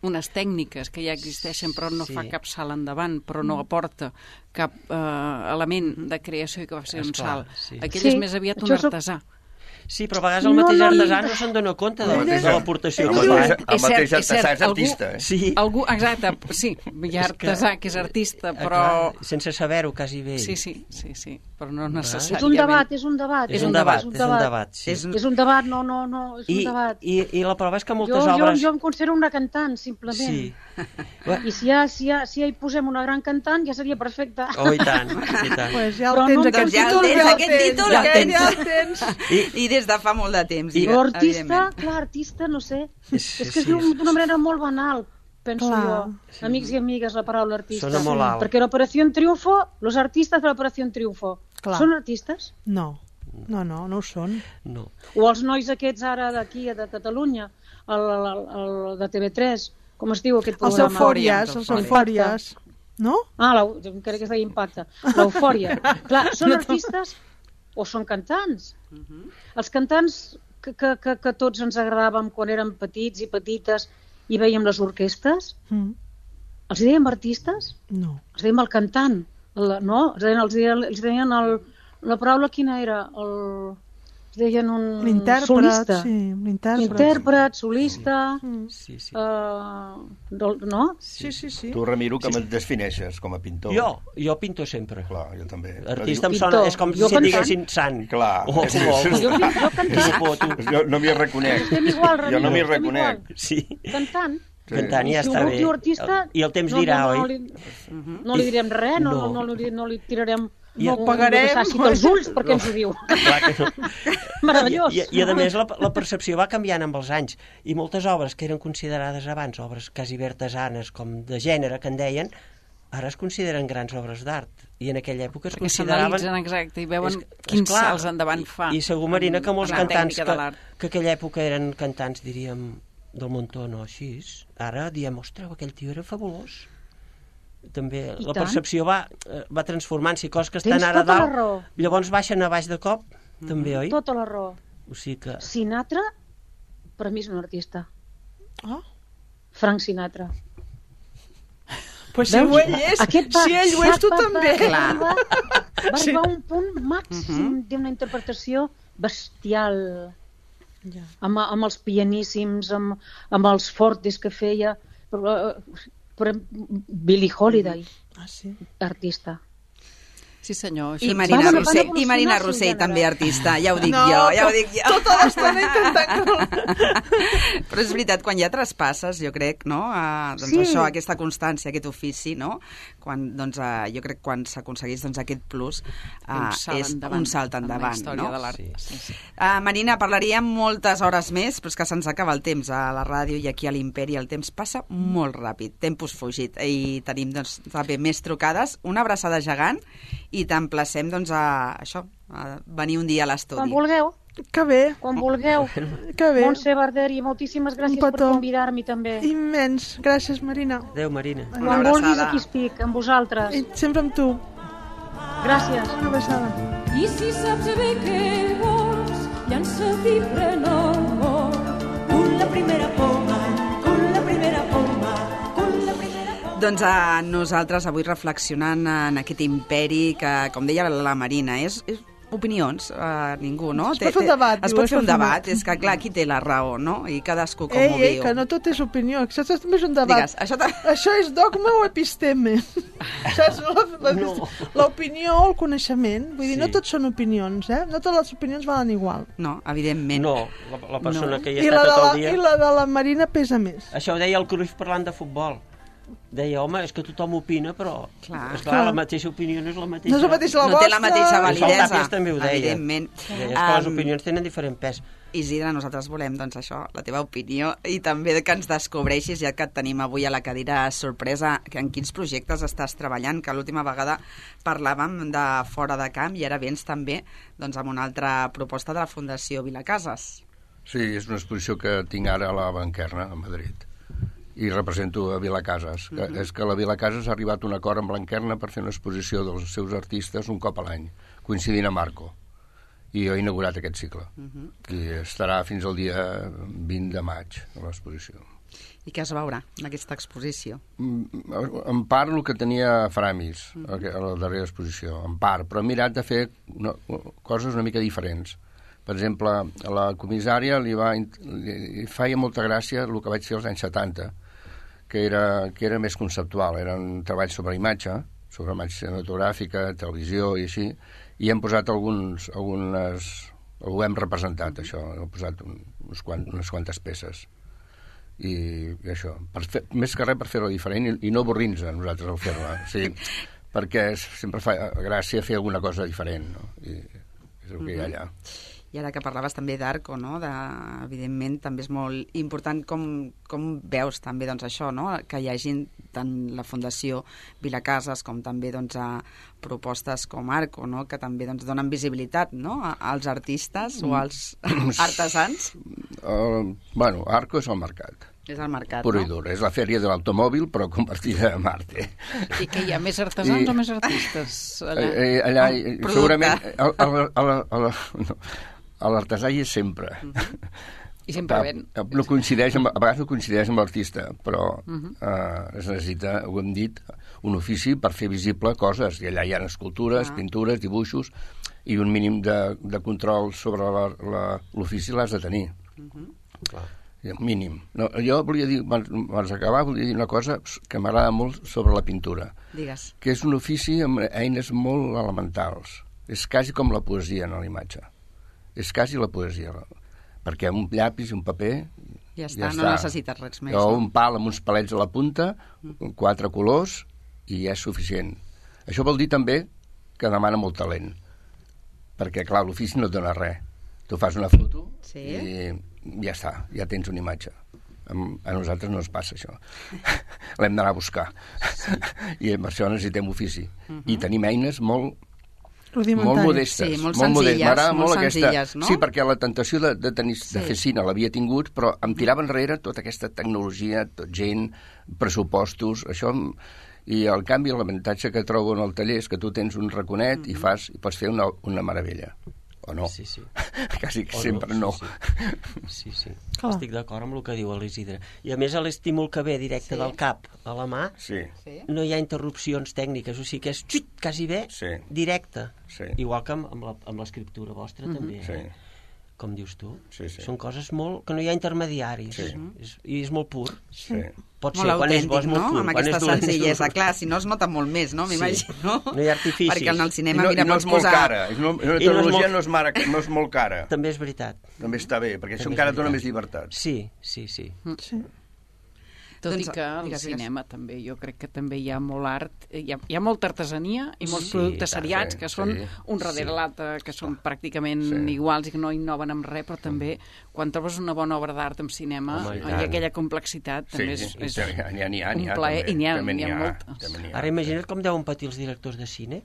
unes tècniques que ja existeixen però no Sí. fa cap salt endavant, però no aporta cap eh, element de creació i que va ser un Esclar, salt. sí. Aquell Sí, és més aviat un això és- artesà. Sí, però a vegades el No, mateix no, artesà no. no se'n dona compte de, El de mateix- l'aportació el que mateix- fa. el mateix artesà és algú- artista, eh? Sí. Algú, exacte, sí, hi ha artesà que és artista, Ah, però... clar, sense saber-ho, quasi bé. Sí, sí, sí, sí, però no És necessàriament. un debat, és un debat. És un debat, és un debat, sí. És, és un debat, no, no, no, és un I, debat. i, I la prova és que moltes jo, jo, obres... jo em considero una cantant, simplement. Sí. I si ja, si, ja, si ja hi posem una gran cantant, ja seria perfecte. Oh, i tant, i tant. Pues ja el Però tens, no- aquest Doncs ja el títol, tens, ja el aquest tens, títol ja el el tens. ja el tens. I, I des de fa molt de temps. I- I, Però artista, evidentment. clar, artista, no sé. Sí, és que es sí, diu sí. d'una manera molt banal, penso Clar, jo. Amics i amigues, la paraula artista. Sona molt alt. Perquè l'Operació Triunfo, los artistes de l'Operació Triunfo, Clar. són artistes? No, no, no, no ho són. no. O els nois aquests ara d'aquí, de Catalunya, el, el, el, el de T V tres, com es diu aquest Els programa? eufòries, els eufòries. No? Ah, l'eu- jo crec que es deia Impacte. L'eufòria. Clar, són artistes o són cantants? Els cantants que, que, que, que tots ens agradàvem quan érem petits i petites i veiem les orquestes, Mm. els dèiem artistes? No. Els dèiem el cantant, el, no? Els deien, els deien, els deien el, la paraula quina era? El, els deien un L'intèrpret, solista. sí, l'intèrpret. Intèrpret, solista... Mm. Sí, sí. Uh, no? Sí, sí, sí. Tu, Ramiro, com et defineixes com a pintor? Jo, jo pinto sempre. Clar, jo també. Artista em Pintor. sona, és com Jo si et cantant. diguessin sant. Clar. O, és, o, és, Jo, pinto, jo cantant. o, tu. jo no m'hi reconec. Estem igual, Jo Ramiro, no m'hi estem reconec. igual. Sí. Cantant. Cantant ja I si està algú bé. diu artista, I el temps no, dirà, no, no, oi? li, no li direm res, no, no. No. No, li, no li tirarem I no, el pagarem. no, dels ulls perquè ens ho diu. Clar que no. Meravellós. I, i, I a més la, la percepció va canviant amb els anys i moltes obres que eren considerades abans obres quasi bé artesanes com de gènere que en deien, ara es consideren grans obres d'art i en aquella època es Perquè consideraven... s'analitzen exacte i veuen És- quins esclar, salts endavant fa. I, i segur, Marina, que molts la cantants tècnica que, de l'art. que aquella època eren cantants, diríem, del Montó, no així, ara diem, ostres, aquell tio era fabulós. També I la tant. percepció va, eh, va transformant-s'hi, coses que Tens estan ara a tota la dalt, raó. llavors baixen a baix de cop, també, oi? Tota la raó. O sigui que... Sinatra, per mi és un artista. Ah. Frank Sinatra. Pues si Veus? ho ell és, Aquest va, si ell ho és, tu va, també. Va, va, va Sí. arribar a un punt màxim d'una interpretació bestial, Ja. amb, amb els pianíssims, amb, amb els fortes que feia. Però, però Billie Holiday, Ah, sí. artista. Sí, senyor. I Això Marina Van- van Rossell, i evolucionar Marina el seu Rossell gènere. també artista, ja ho dic No, jo, ja ho to- dic jo. Tota l'estona intentant... Però és veritat, quan ja traspasses, jo crec, no? Uh, doncs Sí. això, aquesta constància, aquest ofici, no? Quan, doncs, uh, jo crec que quan s'aconsegueix doncs, aquest plus, uh, un salt és endavant un salt en la endavant, història no? de l'art. Sí. Sí, sí. Uh, Marina, parlaríem moltes hores més, però és que se'ns acaba el temps a la ràdio i aquí a l'Imperi. El temps passa molt ràpid, tempus fugit, i tenim doncs, també més trucades. Una abraçada gegant i t'emplacem doncs, a això, a venir un dia a Quan l'estudi. vulgueu, Que bé, quan vulgueu. que bé. Montse Barderi, moltíssimes gràcies Un per petó. convidar-me també. Immens. Gràcies, Marina. Adéu, Marina. Una Quan vulguis abraçada. aquí estic, amb vosaltres. I sempre amb tu. Gràcies. Una abraçada. I si saps bé què vols, llança't i pren el vol. Con la primera poma, con la primera poma, con la primera poma. Doncs a nosaltres avui reflexionant en aquest imperi que, com deia la Marina, és, és opinions, uh, ningú, no? Es pot fer un debat, Es diu, pot es fer un pot fer un debat, debat. és que clar, qui té la raó, no? I cadascú com Ei, ho ei, viu. que no tot és opinió, això també és un debat. Digues, això ta- Això és dogma o episteme? Saps? La- la- No. L'opinió o el coneixement. Vull dir, Sí. no tots són opinions, eh? No totes les opinions valen igual. No, evidentment. No, la, la persona No. que hi I està la, de tot la, el dia... I la de la Marina pesa més. Això ho deia el Cruyff parlant de futbol, deia, home, és que tothom opina, però Clar. esclar, la mateixa opinió no és la mateixa. No és la mateixa la No té la vostra. mateixa validesa. El Tàpies també ho deia. Evidentment. Deia que les Um, opinions tenen diferent pes. Isidre, nosaltres volem, doncs, això, la teva opinió i també que ens descobreixis, ja que et tenim avui a la cadira sorpresa, que en quins projectes estàs treballant, que l'última vegada parlàvem de Fora de Camp i ara vens també doncs, amb una altra proposta de la Fundació Vilacases. Sí, és una exposició que tinc ara a la Blanquerna, a Madrid, i represento a Vilacases. Uh -huh. És que la Vilacases ha arribat a un acord amb Blanquerna per fer una exposició dels seus artistes un cop a l'any, coincidint amb Arco. I jo he inaugurat aquest cicle. Uh -huh. I estarà fins al dia vint de maig, a l'exposició. I què es veurà en aquesta exposició? En part el que tenia Framis, uh -huh. a la darrera exposició, en part, però he mirat de fer no, coses una mica diferents. Per exemple, a la comissària li, va, li feia molta gràcia el que vaig fer als anys setanta, que era, que era més conceptual, eren treballs sobre imatge, sobre imatge cinematogràfica, televisió i així, i hem posat alguns, algunes... ho hem representat, això, hem posat un, uns quant, unes quantes peces. I, i això, per fer, més que res per fer-ho diferent i, i no avorrir-nos a nosaltres al fer-la. O sigui, perquè sempre fa gràcia fer alguna cosa diferent, no? I és el que hi ha allà. I ara que parlaves també d'Arco, no? de, evidentment també és molt important com, com veus també doncs, això, no? que hi hagi tant la Fundació Vilacases com també doncs, a propostes com Arco, no? que també doncs, donen visibilitat no? a, als artistes o als artesans. Uh, bueno, Arco és el mercat. És el mercat, puro no? i dur. És la fèria de l'automòbil, però convertida a Marte. I que hi ha més artesans I, o més artistes allà? Eh, allà, eh, segurament, a, a, a, a, a, no, a l'artesà hi és sempre. Uh -huh. I sempre ven. No coincideix amb, a vegades no coincideix amb l'artista, però uh -huh. uh, es necessita, ho hem dit, un ofici per fer visible coses. I allà hi ha escultures, uh -huh. pintures, dibuixos, i un mínim de, de control sobre l'ofici l'has de tenir. Uh -huh. Clar. Mínim. No, jo volia dir, abans d'acabar, volia dir una cosa que m'agrada molt sobre la pintura. Digues. Que és un ofici amb eines molt elementals. És quasi com la poesia en la imatge. És quasi la poesia. Perquè un llapis i un paper... Ja està, ja no està. necessites res més. O no? un pal amb uns palets a la punta, mm. quatre colors, i ja és suficient. Això vol dir també que demana molt talent. Perquè, clar, l'ofici no et dona res. Tu fas una foto sí. i ja està, ja tens una imatge. A nosaltres no ens passa això. L'hem d'anar a buscar. Sí. I per això necessitem ofici. Uh -huh. I tenim eines molt, molt modestes. Sí, molt, molt senzilles. M'agrada molt, molt senzilles, aquesta... no? Sí, perquè la tentació de, de, tenir, sí. de fer cine l'havia tingut, però em tirava enrere tota aquesta tecnologia, tot gent, pressupostos, això... I el canvi, l'avantatge que trobo en el taller és que tu tens un raconet uh -huh. i fas i pots fer una, una meravella. O no? Sí, sí. Quasi que o sempre no. no. Sí, sí. sí. Oh. Estic d'acord amb el que diu l'Isidre. I a més, l'estímul que ve directe sí. del cap a la mà, sí. no hi ha interrupcions tècniques, o sigui que és xut, quasi bé sí. directe. Sí. Igual que amb l'escriptura vostra, uh -huh. també. Sí. Eh? Com dius tu. Sí, sí. Són coses molt... que no hi ha intermediaris. Sí. És, I és molt pur. Sí. Pot molt ser, quan és bo és molt no? pur. Amb quan aquesta és dolent, senzillesa. Clar, si no es nota molt més, no? M'imagino. Sí. No hi ha artificis. Perquè en el cinema, I no, mira, i no pots és molt posar... cara. És no, la tecnologia no és, molt... no, és mara, no és molt cara. També és veritat. També està bé, perquè això encara dona més llibertat. Sí, sí, sí. Sí. Tot doncs, i que al digues, cinema digues. també, jo crec que també hi ha molt art, hi ha, hi ha molta artesania i molts sí, productes seriats sí, que són sí, un darrere sí. l'altre, que són pràcticament sí. iguals i que no innoven amb res, però també quan trobes una bona obra d'art en cinema Home, hi ha aquella complexitat, sí, també és, és ha, ha, ha, ha, un plaer, i n'hi ha, n'hi ha, ha moltes. Ara imagina't com deuen patir els directors de cine,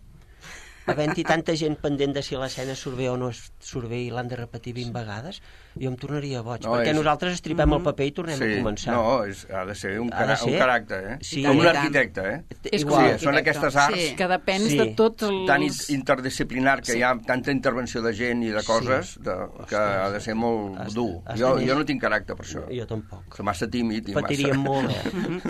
havent-hi tanta gent pendent de si l'escena surt bé o no surt bé i l'han de repetir vint vegades, jo em tornaria boig, no, perquè és... nosaltres estripem mm -hmm. el paper i tornem sí. a començar. No, és, ha de ser un, cara ser? un caràcter, eh? Sí. Com un arquitecte, eh? És Igual. Sí, són aquestes arts sí. que depens sí. de tots els... tan interdisciplinar, que sí. hi ha tanta intervenció de gent i de coses sí. de, que ha de ser molt has, dur. Has jo, jo no tinc caràcter per això. Jo tampoc. Soc massa tímid i Patiríem massa... molt, eh?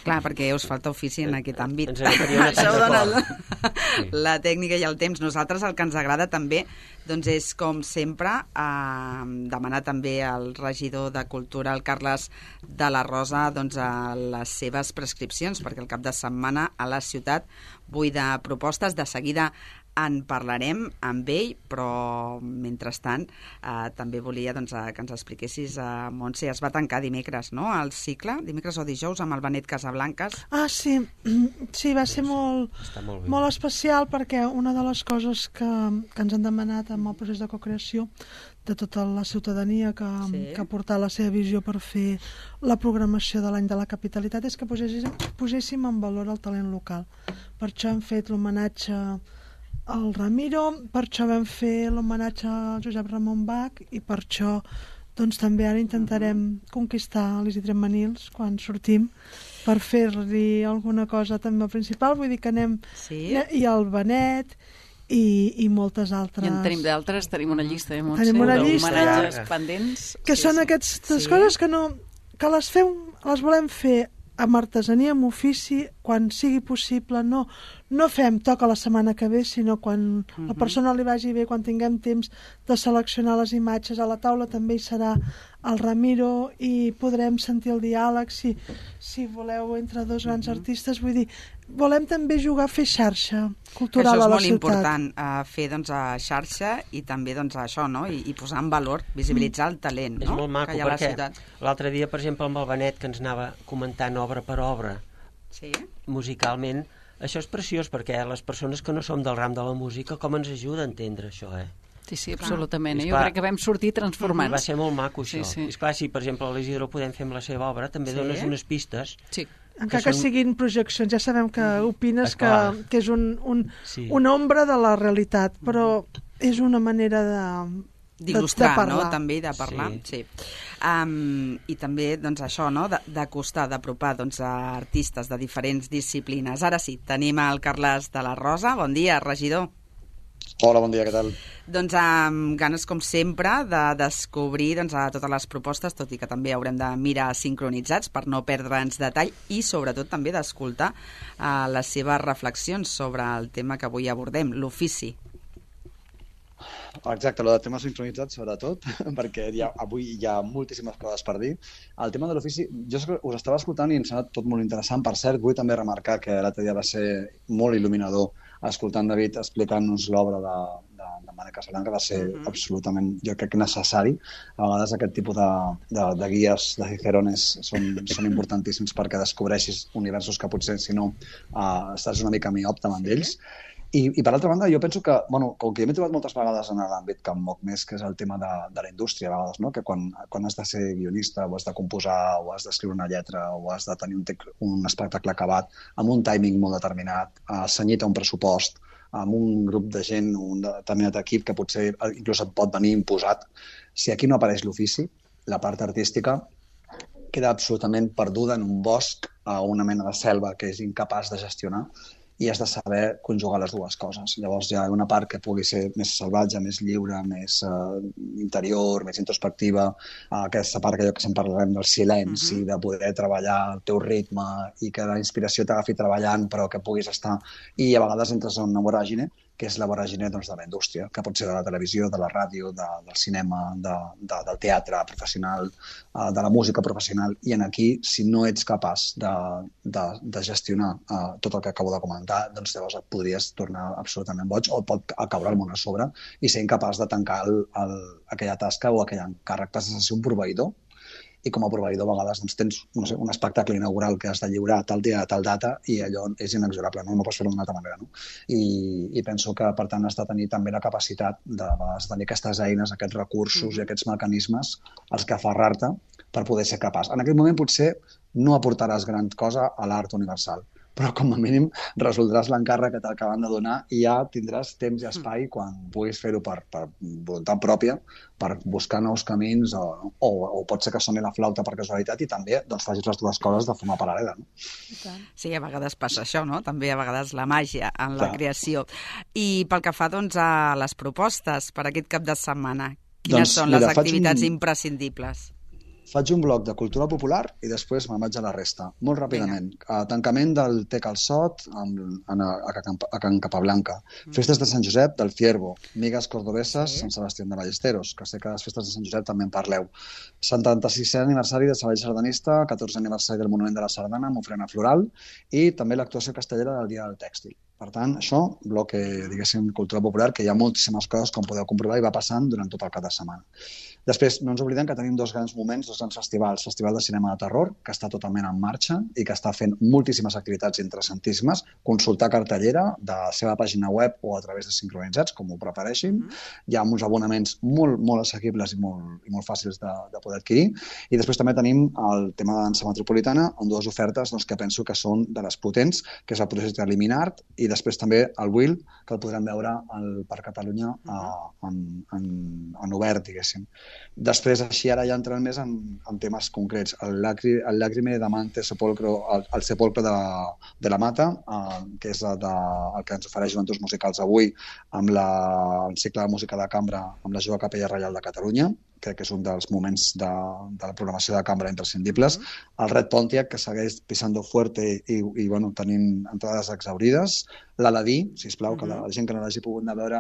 Clar, perquè us falta ofici en aquest àmbit. Ens agafaria Això ho dona la, sí. la tècnica i el temps. Nosaltres el que ens agrada també doncs és, com sempre, eh, demanar també al regidor de Cultura, el Carles de la Rosa, doncs, a les seves prescripcions, perquè el cap de setmana a la ciutat buida propostes. De seguida en parlarem amb ell, però mentrestant eh, també volia doncs, eh, que ens expliquessis, eh, Montse, es va tancar dimecres, no?, el cicle, dimecres o dijous, amb el Benet Casablancas. Ah, sí, sí, va ser molt, molt, molt especial, perquè una de les coses que, que ens han demanat amb el procés de cocreació de tota la ciutadania que, sí. que ha portat la seva visió per fer la programació de l'any de la capitalitat és que poséssim, poséssim en valor el talent local. Per això hem fet l'homenatge al Ramiro, per això vam fer l'homenatge al Josep Ramon Bach i per això doncs, també ara intentarem conquistar l'Isidre Manils quan sortim per fer-li alguna cosa també al principal, vull dir que anem sí. i al Benet i, i moltes altres. I en tenim d'altres, tenim una llista, eh, Montse? Tenim una llista d'homenatges pendents. Que sí, són sí. aquestes sí. coses que, no, que les, fem, les volem fer amb artesania, amb ofici, quan sigui possible. No, no fem toca la setmana que ve, sinó quan uh-huh. la persona li vagi bé, quan tinguem temps de seleccionar les imatges. A la taula també hi serà el Ramiro i podrem sentir el diàleg, si, si voleu, entre dos grans uh-huh. artistes. Vull dir, volem també jugar a fer xarxa cultural a la ciutat. Això és molt important, uh, fer doncs, a xarxa i també doncs, això, no? I, i posar en valor, visibilitzar el talent, no? És molt maco, que hi ha a la perquè ciutat. L'altre dia, per exemple, amb el Benet, que ens anava comentant obra per obra, sí? musicalment, això és preciós, perquè les persones que no som del ram de la música, com ens ajuda a entendre això, eh? Sí, sí, absolutament. Eh? Jo crec que vam sortir transformats. Va ser molt maco, això. Sí, sí. És clar, si, per exemple, a l'Isidro podem fer amb la seva obra, també sí? dones unes pistes. Sí. Encara que, que són... siguin projeccions, ja sabem que opines que, que és un, un, sí. una ombra de la realitat, però és una manera de... d'il·lustrar, no?, també, de parlar. Sí. sí. Um, I també, doncs, això, no?, d'acostar, d'apropar, doncs, a artistes de diferents disciplines. Ara sí, tenim el Carles de la Rosa. Bon dia, regidor. Hola, bon dia, què tal? Doncs amb ganes, com sempre, de descobrir doncs, a totes les propostes, tot i que també haurem de mirar sincronitzats per no perdre'ns detall i, sobretot, també d'escoltar uh, les seves reflexions sobre el tema que avui abordem, l'ofici. Exacte, el de temes sincronitzats sobretot, perquè hi ha, avui hi ha moltíssimes coses per dir. El tema de l'ofici, jo us estava escoltant i em sembla tot molt interessant. Per cert, vull també remarcar que l'altre dia va ser molt il·luminador escoltant David explicant-nos l'obra de, de, de Benet Casablancas, va ser uh-huh. absolutament, jo crec, necessari. A vegades aquest tipus de, de, de guies, de cicerones, són, són importantíssims perquè descobreixis universos que potser, si no, uh, estàs una mica miop davant d'ells. I, I per altra banda, jo penso que, bueno, com que m'he trobat moltes vegades en l'àmbit que em moc més, que és el tema de, de la indústria, a vegades, no? Que quan, quan has de ser guionista o has de composar o has d'escriure una lletra o has de tenir un, tec, un espectacle acabat amb un timing molt determinat, uh, senyit a un pressupost, amb un grup de gent, un determinat equip que potser inclús et pot venir imposat, si aquí no apareix l'ofici, la part artística queda absolutament perduda en un bosc, a una mena de selva que és incapaç de gestionar, i has de saber conjugar les dues coses. Llavors hi ha una part que pugui ser més salvatge, més lliure, més uh, interior, més introspectiva, uh, aquesta part que jo que sempre parlarem del silenci, uh-huh. de poder treballar al teu ritme i que la inspiració t'agafi treballant però que puguis estar... I a vegades entres en una voràgine, que és la voràgine doncs, de la indústria, que pot ser de la televisió, de la ràdio, de, del cinema, de, de, del teatre professional, uh, de la música professional. I en aquí, si no ets capaç de, de, de gestionar uh, tot el que acabo de comentar, doncs llavors et podries tornar absolutament boig o et pot caure el món a sobre i ser incapaç de tancar el, el, aquella tasca o aquell encàrrec. Passes a ser un proveïdor i com a proveïdor a vegades doncs, tens no sé, un espectacle inaugural que has de lliurar tal dia, tal data i allò és inexorable, no, no pots fer-ho d'una altra manera. No? I, I penso que, per tant, has de tenir també la capacitat de, de tenir aquestes eines, aquests recursos mm-hmm. i aquests mecanismes als que aferrar-te per poder ser capaç. En aquest moment potser no aportaràs gran cosa a l'art universal, però com a mínim resoldràs l'encàrrec que t'acaben de donar i ja tindràs temps i espai quan puguis fer-ho per, per voluntat pròpia, per buscar nous camins o, o, o pot ser que soni la flauta per casualitat i també doncs, facis les dues coses de forma paral·lela. No? Sí, a vegades passa això, no? També a vegades la màgia en la Clar. creació. I pel que fa doncs, a les propostes per aquest cap de setmana, quines doncs, són les mira, activitats un... imprescindibles? Faig un bloc de cultura popular i després me'n vaig a la resta. Molt ràpidament. A tancament del Tec al Sot amb, a, a, a Can Capablanca. Mm. Festes de Sant Josep del Fierbo. Migues cordobeses, sí. Sant Sebastián de Ballesteros, que sé que a les festes de Sant Josep també en parleu. setanta-sisè aniversari de Sabadell Sardanista, catorzè aniversari del Monument de la Sardana amb ofrena floral i també l'actuació castellera del Dia del Tèxtil. Per tant, això, bloc, diguéssim, cultura popular, que hi ha moltíssimes coses, com podeu comprovar, i va passant durant tot el cap de setmana. Després, no ens oblidem que tenim dos grans moments, dos grans festivals. Festival de Cinema de Terror, que està totalment en marxa i que està fent moltíssimes activitats interessantíssimes. Consultar cartellera de la seva pàgina web o a través de Sincronitzats, com ho prefereixin. Hi ha uns abonaments molt, molt assequibles i molt, i molt fàcils de, de poder adquirir. I després també tenim el tema de dansa metropolitana, amb dues ofertes doncs, que penso que són de les potents, que és el projecte Liminart i després també el Will, que el podrem veure al Parc Catalunya uh, en, en, en obert, diguéssim. Després, així, ara ja entrant més en, en temes concrets. El, lacri, el Lacrime de Mante Sepolcro, el, el Sepolcro de, de la Mata, eh, que és de, el que ens ofereix Joventuts Musicals avui amb la, el cicle de música de cambra amb la Jove Capella Reial de Catalunya, crec que és un dels moments de, de la programació de cambra imprescindibles. El Red Pontiac, que segueix pisando fuerte i, i bueno, tenint entrades exaurides. L'Aladí, sisplau, que la gent que no l'hagi pogut anar a veure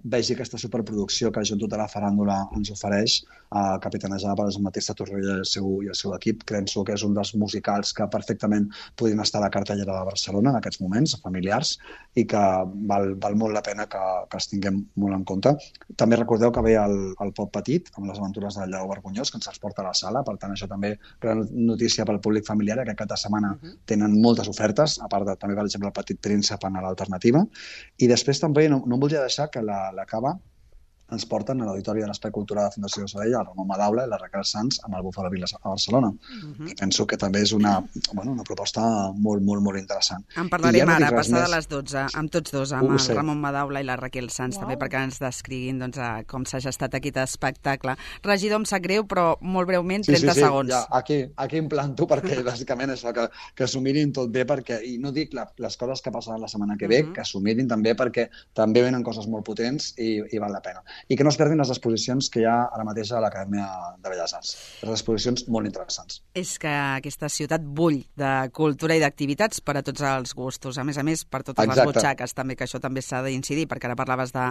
vegi aquesta superproducció que la Joventut de la Faràndula ens ofereix, eh, capitanejada per Jean-Baptiste Torrella i el, seu, i el seu equip. Penso que és un dels musicals que perfectament podrien estar a la cartellera de Barcelona en aquests moments, familiars, i que val, val molt la pena que, que els tinguem molt en compte. També recordeu que ve el, el Pop Petit, amb les aventures del Lleó Vergonyós, que ens els porta a la sala. Per tant, això també gran notícia pel públic familiar. Aquest cap de setmana uh-huh. tenen moltes ofertes, a part de també, per exemple, el Petit Príncep en l'alternativa. I després també no, no em voldria deixar que la, la Cava ens porten a l'Auditori de l'Espai Cultural de Fundació de Sabadell, el Ramon Madaula i la Raquel Sanz amb el Bufalo Vila a Barcelona. Uh-huh. I penso que també és una, bueno, una proposta molt, molt, molt interessant. En parlarem no ara, passada a les dotze, amb tots dos, amb el Ramon Madaula i la Raquel Sanz, wow. també perquè ens descriguin doncs, a com s'ha gestat aquest espectacle. Regidor, em sap greu, però molt breument, trenta sí, sí, sí. segons. Ja, aquí, aquí em planto perquè bàsicament és que, que s'ho mirin tot bé, perquè, i no dic la, les coses que passaran la setmana que ve, uh-huh. que s'ho mirin també perquè també venen coses molt potents i, i val la pena. I que no es perdin les exposicions que hi ha ara mateix a l'Acadèmia de Belles Arts. Les exposicions molt interessants. És que aquesta ciutat bull de cultura i d'activitats per a tots els gustos. A més a més, per totes Exacte. les butxaques, també, que això també s'ha d'incidir, perquè ara parlaves de,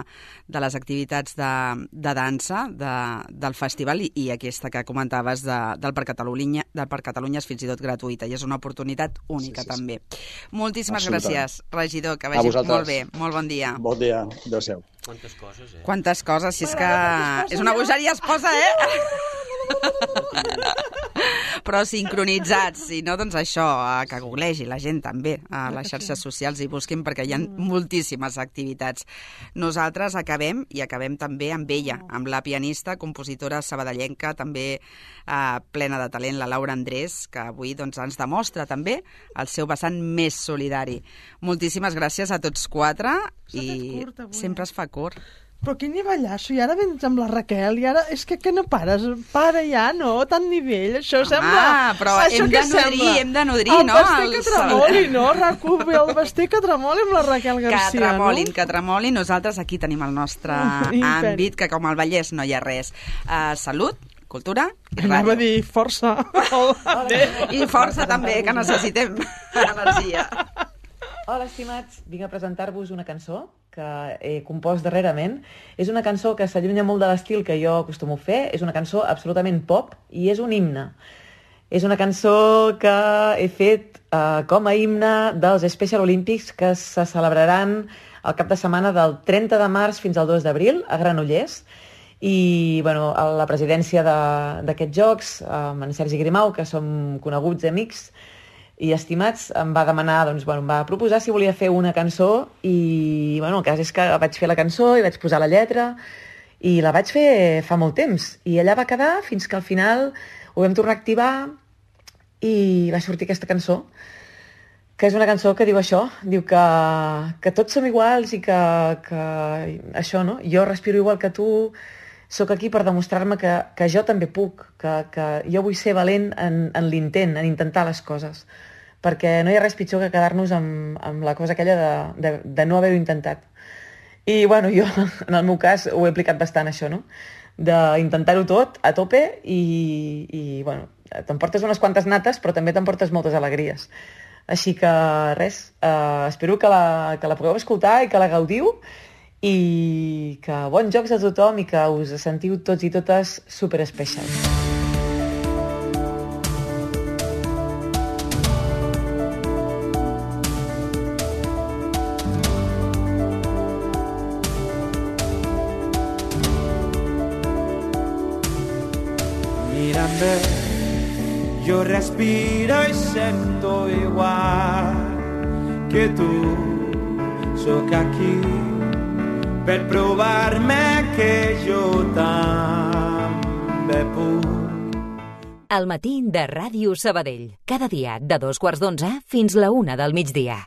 de les activitats de, de dansa, de, del festival, i, i aquesta que comentaves de, del Parc Catalunya, del Parc Catalunya és fins i tot gratuïta, i és una oportunitat única, sí, sí, també. Sí. Moltíssimes gràcies, regidor, que vagi molt bé. Molt bon dia. Bon dia. Adéu-siau. Quantes coses, eh? Quantes coses, si és que és una bogeria, es posa, eh? Però sincronitzats, si no, doncs això, que googlegi la gent també a les xarxes socials i busquin, perquè hi ha moltíssimes activitats. Nosaltres acabem, i acabem també amb ella, amb la pianista, compositora sabadellenca, també eh, plena de talent, la Laura Andrés, que avui doncs, ens demostra també el seu vessant més solidari. Moltíssimes gràcies a tots quatre, i sempre es fa curt. Però quin nivellasso, i ara vens amb la Raquel, i ara és que, que no pares, para ja, no? Tant nivell, això Home, sembla... Ah, però això hem de nodrir, sembla? hem de nodrir, el no? El vestit que tremoli, no? Recubi el vestit que tremoli amb la Raquel Garcia, que tremolin, no? que tremolin, nosaltres aquí tenim el nostre àmbit, que com al Vallès no hi ha res. Uh, salut, cultura i ràdio. Anava a dir força. I força també, que necessitem energia. Hola, estimats. Vinc a presentar-vos una cançó que he compost darrerament. És una cançó que s'allunya molt de l'estil que jo acostumo a fer. És una cançó absolutament pop i és un himne. És una cançó que he fet eh, com a himne dels Special Olympics que se celebraran el cap de setmana del trenta de març fins al dos d'abril a Granollers. I bueno, a la presidència d'aquests jocs, amb en Sergi Grimau, que som coneguts amics i estimats, em va demanar, doncs, bueno, em va proposar si volia fer una cançó i bueno, el cas és que vaig fer la cançó i vaig posar la lletra i la vaig fer fa molt temps i allà va quedar fins que al final ho vam tornar a activar i va sortir aquesta cançó, que és una cançó que diu això, diu que, que tots som iguals i que, que això, no? Jo respiro igual que tu, sóc aquí per demostrar-me que, que jo també puc, que, que jo vull ser valent en, en l'intent, en intentar les coses, perquè no hi ha res pitjor que quedar-nos amb, amb la cosa aquella de, de, de no haver-ho intentat. I bueno, jo, en el meu cas, ho he aplicat bastant, això, no? D'intentar-ho tot, a tope, i, i bueno, t'emportes unes quantes nates, però també t'emportes moltes alegries. Així que, res, eh, espero que la, que la pugueu escoltar i que la gaudiu, i que bons jocs a tothom i que us sentiu tots i totes super especials. a me. Jo respiro i sento igual que tu. Sóc aquí per provar-me que jo també puc. El matí de Ràdio Sabadell. Cada dia de dos quarts d'onze fins la una del migdia.